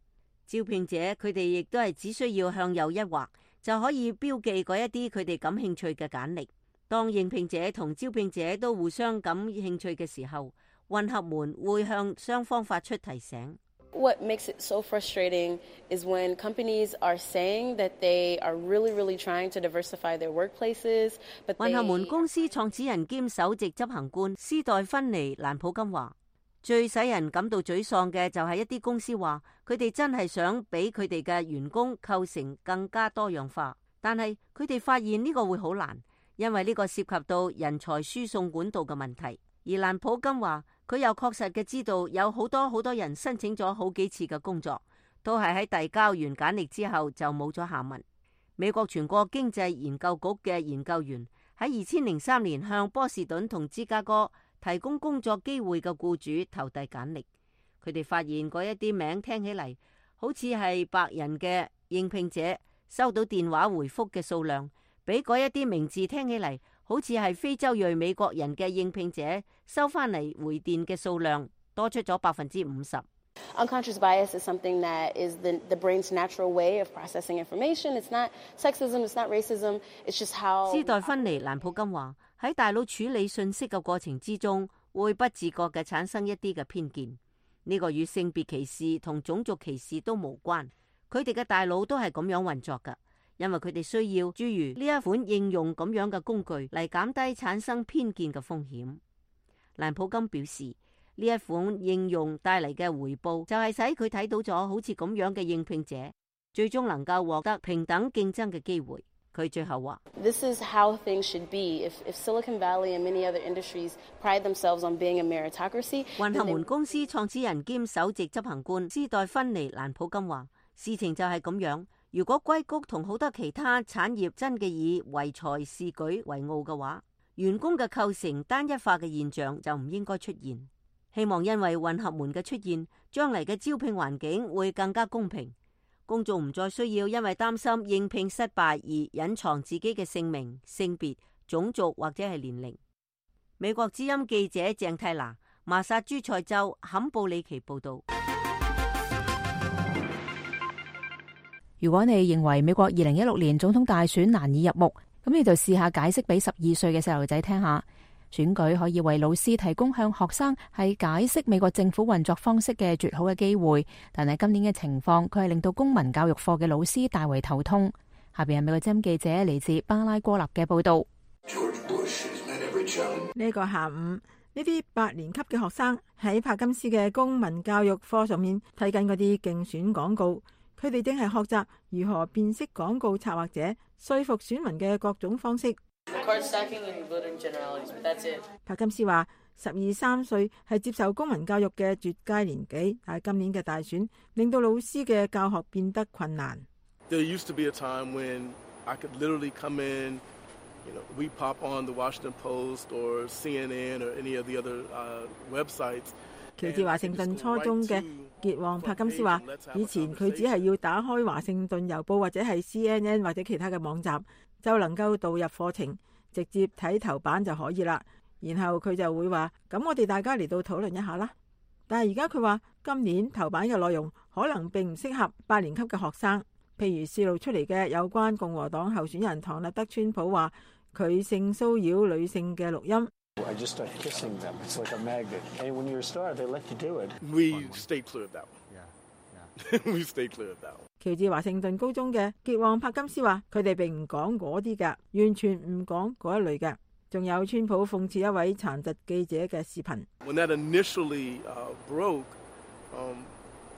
招聘者佢哋亦都係只需要向右一劃，就可以標記嗰一啲佢哋感興趣嘅簡歷。當應聘者同招聘者都互相感興趣嘅時候，混合門會向雙方發出提醒。What makes it so frustrating is when companies are saying that they are really, really trying to diversify their workplaces, but they... 混合門公司創始人兼首席執行官斯代芬妮·蘭普金話，最使人感到沮喪嘅就係一啲公司話佢哋真係想俾佢哋嘅員工構成更加多樣化，但係佢哋發現呢個會好難，因為呢個涉及到人才輸送管道嘅問題。而蘭普金話，佢又確實嘅知道有好多好多人申請咗好幾次嘅工作，都係喺遞交完簡歷之後就冇咗下文。美國全國經濟研究局嘅研究員喺二千零三年向波士頓同芝加哥提供工作機會嘅僱主投遞簡歷，佢哋發現嗰一啲名聽起嚟好似係白人嘅應聘者收到電話回覆嘅數量，比嗰一啲名字聽起嚟好似係非洲裔美國人嘅應聘者收翻嚟回電嘅數量多出咗百分之五十。Unconscious bias is something that is the, the brain's natural way of processing information. It's not sexism, it's not racism, it's just how... 斯代芬妮·蘭普金話，喺大腦處理信息嘅過程之中，會不自覺嘅產生一啲嘅偏見。呢個與性別歧視同種族歧視都無關，佢哋嘅大腦都係咁樣運作㗎。因為佢哋需要諸如呢一款應用咁樣嘅工具嚟減低產生偏見嘅風險。蘭普金表示，呢一款應用帶嚟嘅回報就係使佢睇到咗好似咁樣嘅應聘者最終能夠獲得平等競爭嘅機會。佢最後話 This is how things should be. If, if Silicon Valley and many other industries pride themselves on being a meritocracy. 混合門公司創始人兼首席執行官斯代芬尼蘭普金話：事情就係咁樣。如果硅谷同好多其他產業真嘅以唯才是舉為傲嘅話，員工嘅構成單一化嘅現象就唔應該出現。希望因為混合門嘅出現，將嚟嘅招聘環境會更加公平。公眾唔再需要因為擔心應聘失敗而隱藏自己嘅姓名、性別、種族或者係年齡。美國之音記者鄭泰娜，麻薩諸塞州坎布里奇報道。如果你認為美國二零一六年總統大選難以入目，咁你就試下解釋俾十二歲嘅細路仔聽下。選舉可以為老師提供向學生係解釋美國政府運作方式嘅絕好嘅機會，但係今年嘅情況，佢係令到公民教育課嘅老師大為頭痛。下邊係美國之音記者嚟自巴拉哥納嘅報道。呢個下午，呢啲八年級嘅學生喺帕金斯嘅公民教育課上面睇緊嗰啲競選廣告，佢哋正係學習如何辨識廣告策劃者，說服選民嘅各種方式。帕金斯話：十二三歲係接受公民教育嘅絕佳年紀，但係今年嘅大選令到老師嘅教學變得困難。There used to be a time when I could literally come in, you know, we pop on the Washington Post or C N N or any of the other uh, websites. 喬治華盛頓初中嘅傑旺帕金斯話：以前佢只係要打開華盛頓郵報或者係 C N N 或者其他嘅網站，就能夠導入課程，直接睇頭版就可以啦。然後佢就會話：咁我哋大家嚟到討論一下啦。但係而家佢話，今年頭版嘅內容可能並唔適合八年級嘅學生。譬如泄露出嚟嘅有關共和黨候選人唐納德川普話佢性騷擾女性嘅錄音。I just start kissing them. It's like a magnet. And when you're a star, they let you do it. We stay clear of that one. Yeah, yeah. We stay clear of that one. 喬治華盛頓高中嘅傑旺帕金斯話：佢哋並唔講嗰啲嘅，完全唔講嗰一類嘅。仲有川普諷刺一位殘疾記者嘅視頻。When that initially uh, broke, um,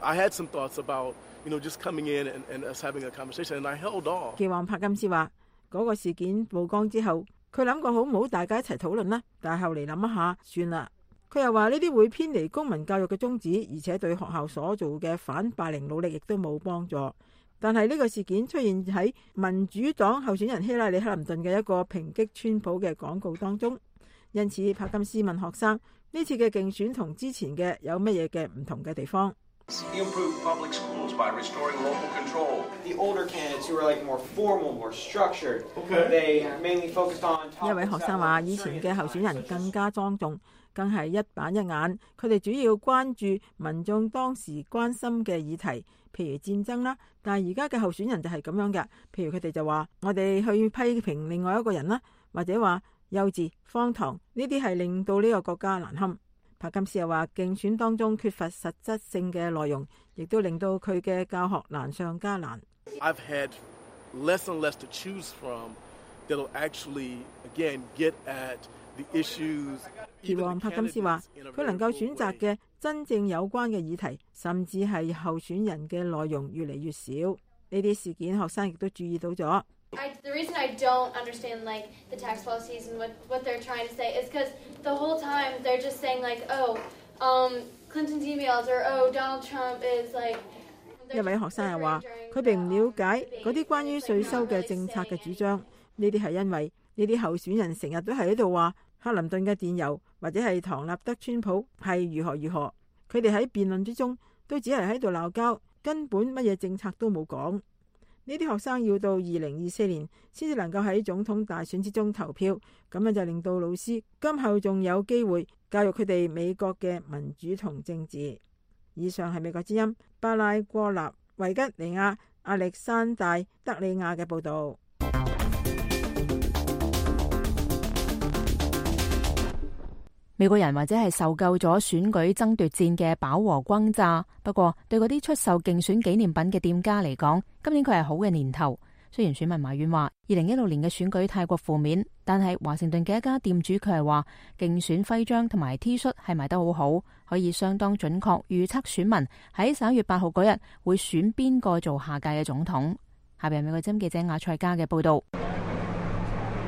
I had some thoughts about, you know, just coming in and, and us having a conversation, and I held off. 傑旺帕金斯話：嗰個事件曝光之後，佢諗過好唔好大家一齊討論啦，但係後嚟諗一下，算啦。佢又話呢啲會偏離公民教育嘅宗旨，而且對學校所做嘅反霸凌努力亦都冇幫助。但係呢個事件出現喺民主黨候選人希拉里克林頓嘅一個抨擊川普嘅廣告當中，因此帕金斯問學生：呢次嘅競選同之前嘅有乜嘢嘅唔同嘅地方？一位學生話：以前嘅候選人更加莊重，更係一板一眼。佢哋主要關注民眾當時關心嘅議題，譬如戰爭啦。但係而家嘅候選人就係咁樣嘅，譬如佢哋就話：我哋去批評另外一個人啦，或者話幼稚、荒唐，呢啲係令到呢個國家難堪。帕金斯又話：競選當中缺乏實質性嘅內容，亦都令到佢嘅教學難上加難。I've had less and less to choose from that'll actually again get at the issues. 傑旺帕金斯話：佢能夠選擇嘅真正有關嘅議題，甚至係候選人嘅內容越嚟越少。呢啲事件，學生亦都注意到咗。I, the reason I don't understand like the tax policies and what, what they're trying to say is because the whole time they're just saying like, oh, um, Clinton's emails or oh, Donald Trump is like. 一位學生又話：佢並唔了解嗰啲關於稅收嘅政策嘅主張。呢啲係因為呢啲候選人成日都係喺度話克林頓嘅電郵或者係唐納德川普係如何如何。佢哋喺辯論之中都只係喺度鬧交，根本乜嘢政策都冇講。呢啲學生要到二零二四年先至能夠喺總統大選之中投票，咁樣就令到老師今後仲有機會教育佢哋美國嘅民主同政治。以上係美國之音巴拉戈納維吉尼亞亞歷山大德里亞嘅報導。美國人或者係受夠咗選舉爭奪戰嘅飽和轟炸，不過對嗰啲出售競選紀念品嘅店家嚟講，今年佢係好嘅年頭。雖然選民埋怨話二零一六年嘅選舉太過負面，但係華盛頓嘅一家店主佢係話競選徽章同埋 T 恤係賣得好好，可以相當準確預測選民喺十一月八號嗰日會選邊個做下屆嘅總統。下邊係美國之音記者亞賽加嘅報道。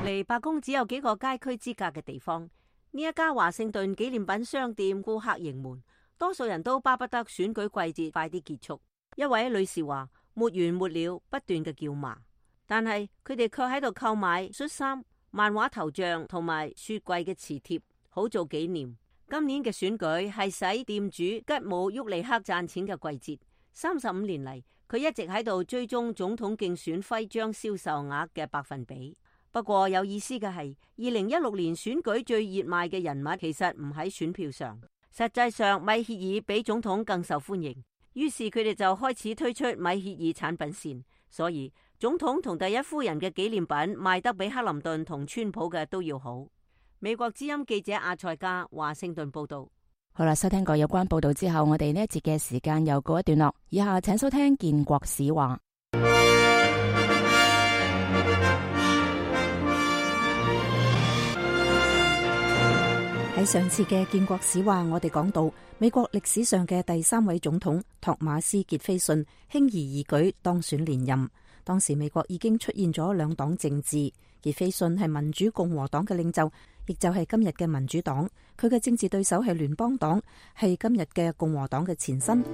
離白宮只有幾個街區之隔嘅地方，呢一家華盛頓紀念品商店顧客盈門，多數人都巴不得選舉季節快啲結束。一位女士話：沒完沒了，不斷嘅叫罵，但係佢哋卻喺度購買恤衫、漫畫頭像同埋雪櫃嘅磁貼，好做紀念。今年嘅選舉係使店主吉姆沃利克賺錢嘅季節。三十五年嚟，佢一直喺度追蹤總統競選徽章銷售額嘅百分比。不過有意思嘅係，二零一六年選舉最熱賣嘅人物其實唔喺選票上，實際上米歇爾比總統更受歡迎。於是佢哋就開始推出米歇爾產品線，所以總統同第一夫人嘅紀念品賣得比克林頓同川普嘅都要好。美國之音記者阿塞加華盛頓報道。好啦，收聽過有關報道之後，我哋呢一節嘅時間又告一段落。以下請收聽建國史話。喺上次嘅建國史話，我哋講到美國歷史上嘅第三位總統托馬斯傑斐遜輕而易舉當選連任。當時美國已經出現咗兩黨政治，傑斐遜係民主共和黨嘅領袖，亦就係今日嘅民主黨。佢嘅政治對手係聯邦黨，係今日嘅共和黨嘅前身。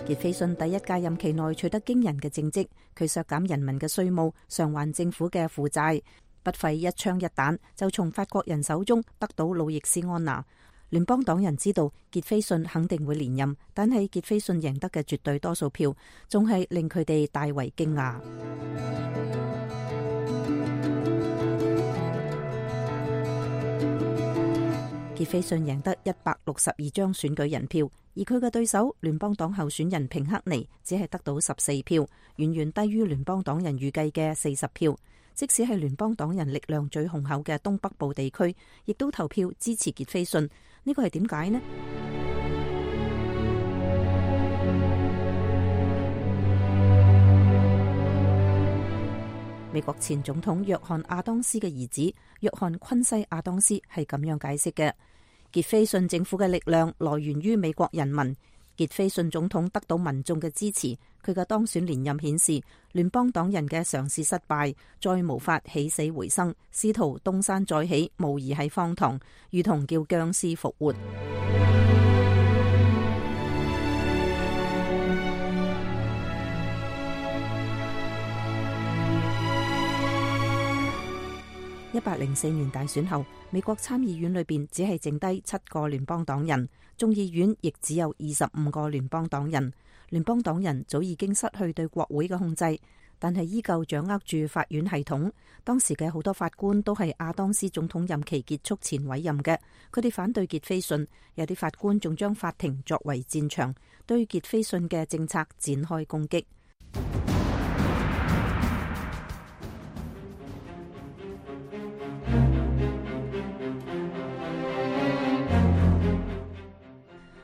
傑斐遜第一屆任期內取得驚人嘅政績，佢削減人民嘅稅務，償還政府嘅負債，不費一槍一彈就從法國人手中得到路易斯安那。聯邦黨人知道傑斐遜肯定會連任，但係傑斐遜贏得嘅絕對多數票，仲係令佢哋大為驚訝。傑斐遜贏得一百六十二張選舉人票，而佢嘅對手聯邦黨候選人平克尼只係得到十四票，遠遠低於聯邦黨人預計嘅四十票。即使係聯邦黨人力量最雄厚嘅東北部地區，亦都投票支持傑斐遜。呢個係點解呢？美國前總統約翰亞當斯嘅兒子約翰昆西亞當斯係咁樣解釋嘅：傑斐遜政府嘅力量來源於美國人民。傑斐遜總統得到民眾嘅支持，佢嘅當選連任顯示聯邦黨人嘅嘗試失敗，再無法起死回生，試圖東山再起，無疑係荒唐，如同叫僵屍復活。一八零四年大選後，美國參議院裏邊只係剩低七個聯邦黨人，眾議院亦只有二十五個聯邦黨人。聯邦黨人早已經失去對國會嘅控制，但係依舊掌握住法院系統。當時嘅好多法官都係亞當斯總統任期結束前委任嘅，佢哋反對傑斐遜，有啲法官仲將法庭作為戰場，對傑斐遜嘅政策展開攻擊。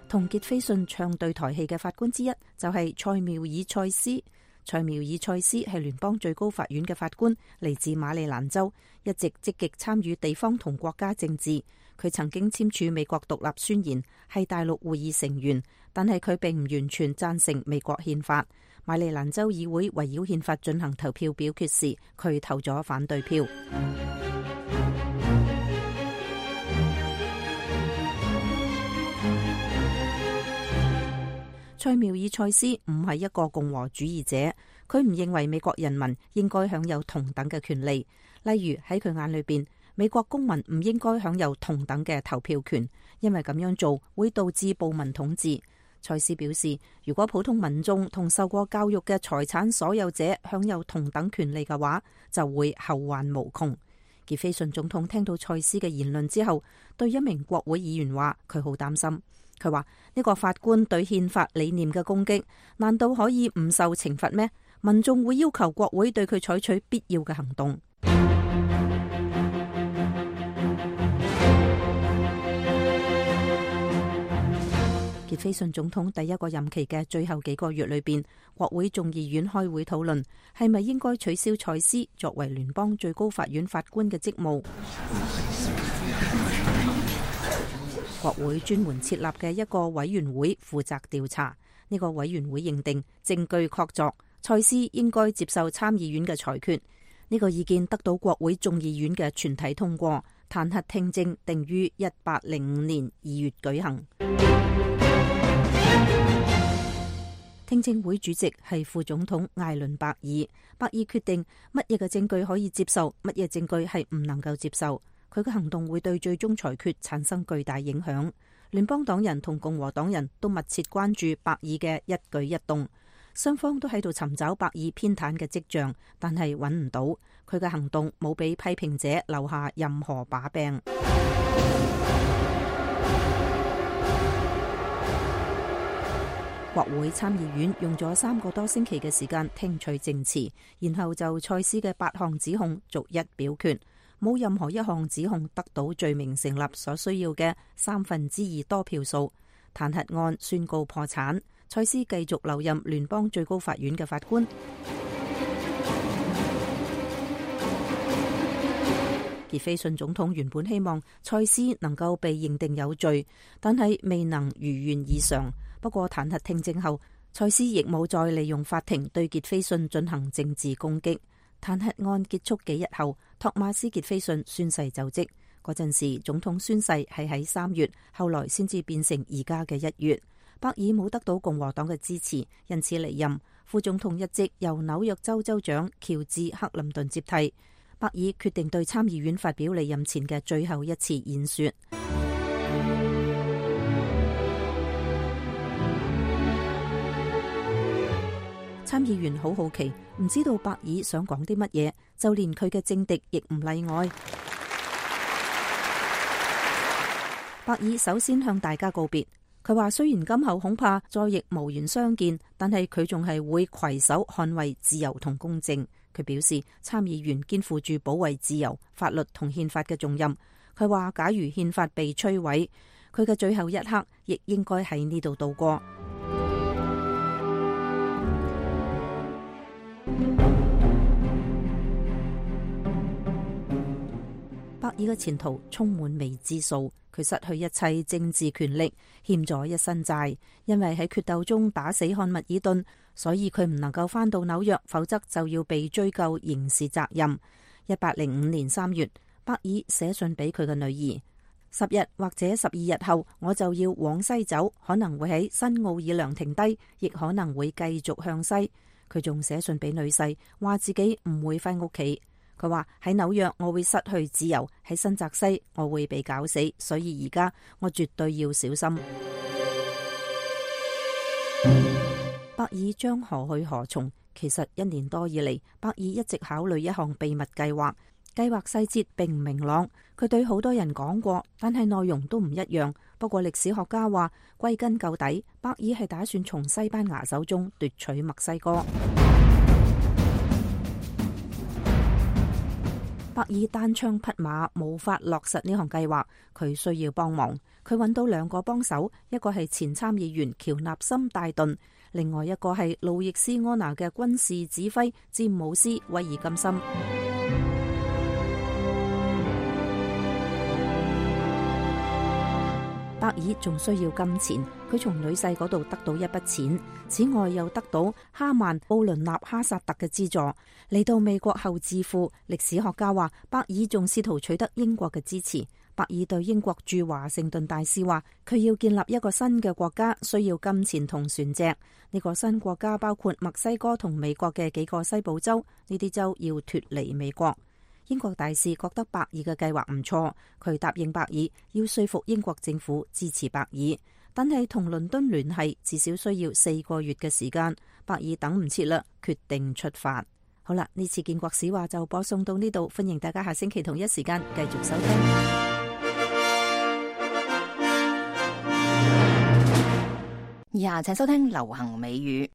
同傑斐遜唱對台戲嘅法官之一就係塞繆爾塞斯。塞繆爾塞斯係聯邦最高法院嘅法官，嚟自馬里蘭州，一直積極參與地方同國家政治。佢曾經簽署美國獨立宣言，係大陸會議成員，但係佢並唔完全贊成美國憲法。馬里蘭州議會圍繞憲法進行投票表決時，佢投咗反對票。塞繆爾塞斯唔係一個共和主義者，佢唔認為美國人民應該享有同等嘅權利。例如喺佢眼裏邊，美國公民唔應該享有同等嘅投票權，因為咁樣做會導致暴民統治。塞斯表示，如果普通民眾同受過教育嘅財產所有者享有同等權利嘅話，就會後患無窮。傑斐遜總統聽到塞斯嘅言論之後，對一名國會議員話佢好擔心。佢話呢個法官對憲法理念嘅攻擊，難道可以唔受懲罰咩？民眾會要求國會對佢採取必要嘅行動。傑斐遜總統第一個任期嘅最後幾個月裏邊，國會眾議院開會討論係咪應該取消塞斯作為聯邦最高法院法官嘅職務。國會專門設立嘅一個委員會負責調查，呢個委員會認定證據確鑿，蔡斯應該接受參議院嘅裁決。呢個意見得到國會眾議院嘅全體通過，彈劾聽證定於一八零五年二月舉行。聽證會主席係副總統艾倫伯爾，伯爾決定乜嘢嘅證據可以接受，乜嘢證據係唔能夠接受。佢嘅行動會對最終裁決產生巨大影響。聯邦黨人同共和黨人都密切關注伯爾嘅一舉一動，雙方都喺度尋找伯爾偏袒嘅跡象，但係揾唔到。佢嘅行動冇俾批評者留下任何把柄。國會參議院用咗三個多星期嘅時間聽取證詞，然後就蔡斯嘅八項指控逐一表決，冇任何一項指控得到罪名成立所需要嘅三分之二多票數，彈劾案宣告破產。蔡斯繼續留任聯邦最高法院嘅法官。傑斐遜總統原本希望蔡斯能夠被認定有罪，但係未能如願以償。不過彈劾聽證後，蔡斯亦冇再利用法庭對傑斐遜進行政治攻擊。彈劾案結束幾日後，托馬斯傑斐遜宣誓就職。嗰陣時總統宣誓係喺三月，後來先至變成而家嘅一月。伯爾冇得到共和黨嘅支持，因此離任。副總統一職由紐約州州長喬治克林頓接替。伯爾決定對參議院發表離任前嘅最後一次演說。參議員好好奇，唔知道伯爾想講啲乜嘢，就連佢嘅政敵亦唔例外。伯爾首先向大家告別，佢話雖然今後恐怕再亦無緣相見，但係佢仲係會攜手捍衛自由同公正。佢表示參議員肩負住保衛自由、法律同憲法嘅重任。佢話假如憲法被摧毀，佢嘅最後一刻亦應該喺呢度度過。伯爾嘅前途充滿未知數，佢失去一切政治權力，欠咗一身債。因為喺決鬥中打死漢密爾頓，所以佢唔能夠返到紐約，否則就要被追究刑事責任。一八零五年三月，伯爾寫信俾佢嘅女兒：十日或者十二日後，我就要往西走，可能會喺新奧爾良停低，亦可能會繼續向西。佢仲寫信俾女婿，話自己唔會返屋企。佢話喺紐約我會失去自由，喺新澤西我會被搞死，所以而家我絕對要小心。伯爾將何去何從？其實一年多以嚟，伯爾一直考慮一項秘密計劃，計劃細節並唔明朗。佢對好多人講過，但係內容都唔一樣。不過歷史學家話，歸根究底，伯爾係打算從西班牙手中奪取墨西哥。伯爾單槍匹馬，無法落實呢項計劃，佢需要幫忙。佢揾到兩個幫手，一個係前參議員喬納森戴頓，另外一個係路易斯安那嘅軍事指揮詹姆斯威爾金森。伯爾仲需要金錢，佢從女婿嗰度得到一筆錢，此外又得到哈曼奧倫納哈薩特嘅資助。嚟到美國後致富，歷史學家話伯爾仲試圖取得英國嘅支持。伯爾對英國駐華盛頓大使話，佢要建立一個新嘅國家，需要金錢同船隻。呢個新國家包括墨西哥同美國嘅幾個西部州，呢啲州要脫離美國。英國大使覺得伯爾嘅計劃唔錯，佢答應伯爾要說服英國政府支持伯爾，但係同倫敦聯繫至少需要四個月嘅時間。伯爾等唔切啦，決定出發。好啦，呢次建國史話就播送到呢度，歡迎大家下星期同一時間繼續收聽。以下請收聽流行美語。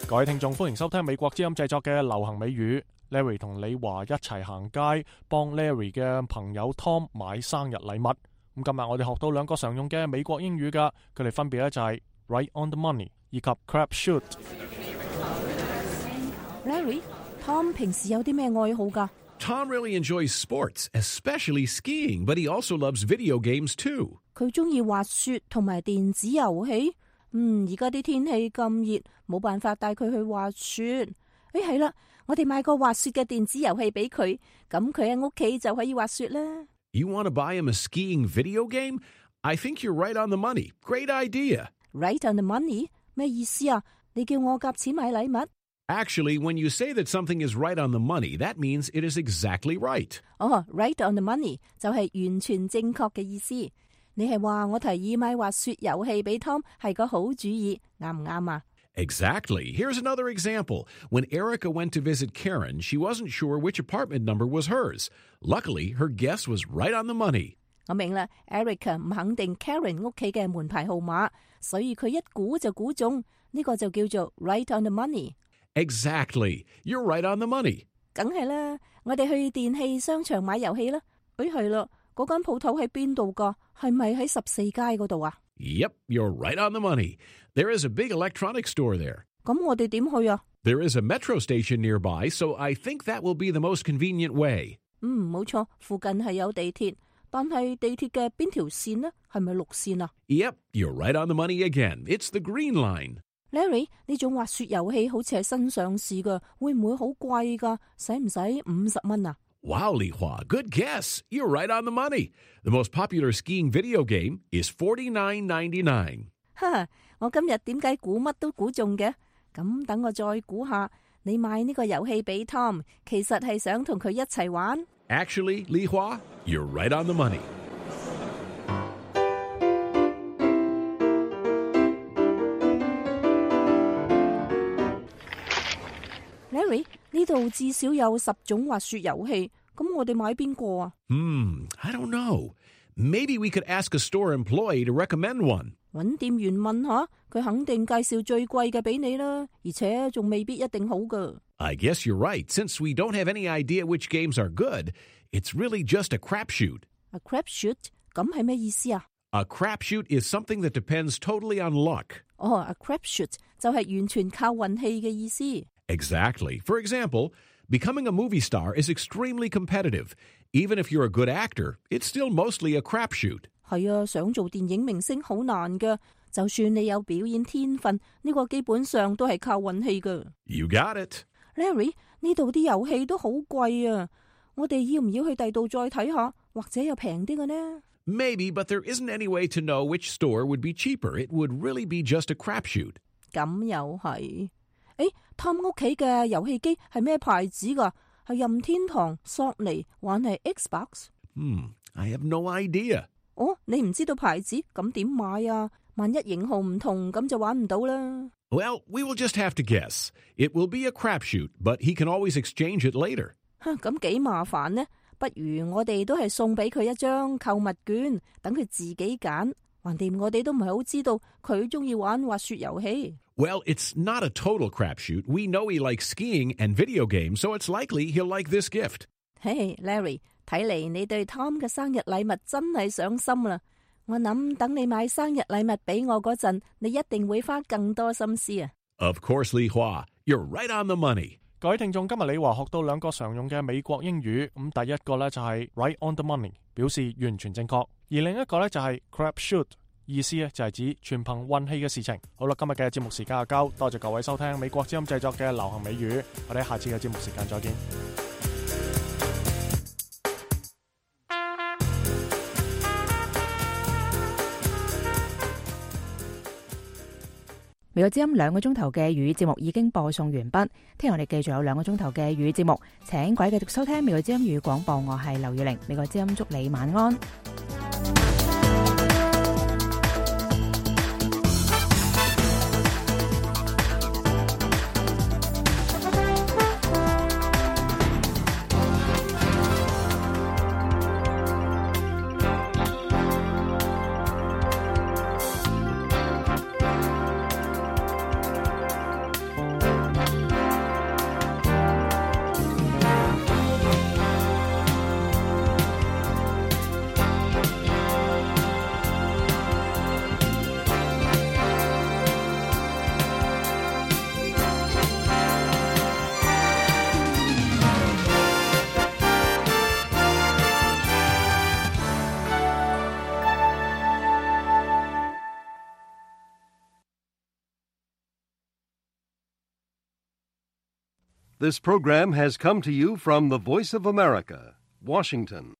各位聽眾，歡迎收聽美國之音製作嘅流行美語。Larry 同李華一齊行街，幫 Larry 嘅朋友 Tom 買生日禮物。咁今日我哋學到兩個常用嘅美國英語噶，佢哋分別咧就係 right on the money 以及 crap shoot。Larry，Tom 平時有啲咩愛好噶？ Tom really enjoys sports, especially skiing, but he also loves video games too. 佢中意滑雪同埋電子遊戲。嗯，而家啲天氣咁熱，冇辦法帶佢去滑雪。誒，係啦，我哋買個滑雪嘅電子遊戲俾佢，咁佢喺屋企就可以滑雪啦。You want to buy him a skiing video game? I think you're right on the money. Great idea. Right on the money? 咩意思啊？你叫我夾錢買禮物？ Actually, when you say that something is right on the money, that means it is exactly right. 哦、oh, right on the money 就係完全正確嘅意思。你係話我提議買滑雪遊戲俾 Tom 係個好主意，啱唔啱啊？ Exactly. Here's another example. When Erica went to visit Karen, she wasn't sure which apartment number was hers. Luckily, her guess was right on the money. 我明啦 ，Erica 唔肯定 Karen 屋企嘅門牌號碼，所以佢一估就估中，呢個就叫做 right on the money. Exactly. You're right on the money. 梗係啦，我哋去電器商場買遊戲啦。誒係啦，嗰間鋪頭喺邊度㗎？係咪喺十四街嗰度啊？ Yep, you're right on the money. There is a big electronics store there. 咁我哋點去啊？ There is a metro station nearby, so I think that will be the most convenient way. 嗯，冇錯，附近係有地鐵，但係地鐵嘅邊條線呢？係咪綠線啊？ Yep, you're right on the money again. It's the green line. Larry， 呢種滑雪遊戲好似係新上市㗎，會唔會好貴㗎？使唔使五十蚊啊？ Wow, Li Hua, good guess. You're right on the money. The most popular skiing video game is forty-nine ninety-nine. 哈，我今日點解估乜都估中嘅？咁等我再估下，你買呢個遊戲俾 Tom， 其實係想同佢一齊玩。Actually, Li Hua, you're right on the money. Larry， 呢度至少有十種滑雪遊戲，咁我哋買邊個啊？ Hmm, I don't know. Maybe we could ask a store employee to recommend one. 搵店員問下，佢肯定介紹最貴嘅俾你啦，而且仲未必一定好㗎。I guess you're right. Since we don't have any idea which games are good, it's really just a crapshoot. A crapshoot？ 咁係咩意思啊？ A crapshoot is something that depends totally on luck. 哦、oh, a crapshoot 就係完全靠運氣嘅意思。Exactly. For example, becoming a movie star is extremely competitive. Even if you're a good actor, it's still mostly a crapshoot. 係啊，想做電影明星好難㗎。就算你有表演天分，呢個基本上都係靠運氣㗎。You got it. Larry， 呢度啲遊戲都好貴啊！我哋要唔要去第度再睇下，或者有平啲嘅呢？ Maybe, but there isn't any way to know which store would be cheaper. It would really be just a crapshoot. 咁又係。誒 ，Tom 屋企嘅遊戲機係咩牌子㗎？係任天堂、索尼，還係 Xbox？ Hmm, I have no idea. 哦，你唔知道牌子，咁點買啊？萬一型號唔同，咁就玩唔到啦。Well, we will just have to guess. It will be a crapshoot, but he can always exchange it later. 咁幾麻煩呢？不如我哋都係送俾佢一張購物券，等佢自己揀。橫掂我哋都唔係好知道佢中意玩滑雪遊戲。Well, it's not a total crapshoot. We know he likes skiing and video games, so it's likely he'll like this gift. Hey, Larry, 睇嚟你對 Tom 嘅生日禮物真係上心啦。我諗等你買生日禮物俾我嗰陣，你一定會花更多心思啊。Of course, Li Hua, you're right on the money. 各位聽眾，今日李華學到兩個常用嘅美國英語，咁第一個呢就係 right on the money， 表示完全正確，而另一個呢就係 crapshoot， 意思呢就係指全憑運氣嘅事情。好啦，今日嘅節目時間就夠，多謝各位收聽美國之音製作嘅流行美語，我哋下次嘅節目時間再見。美國之音兩個鐘頭嘅粵語節目已經播送完畢，聽日我哋繼續有兩個鐘頭嘅粵語節目，請各位繼續收聽美國之音粵語廣播，我係劉月玲，美國之音祝你晚安。This program has come to you from the Voice of America, Washington.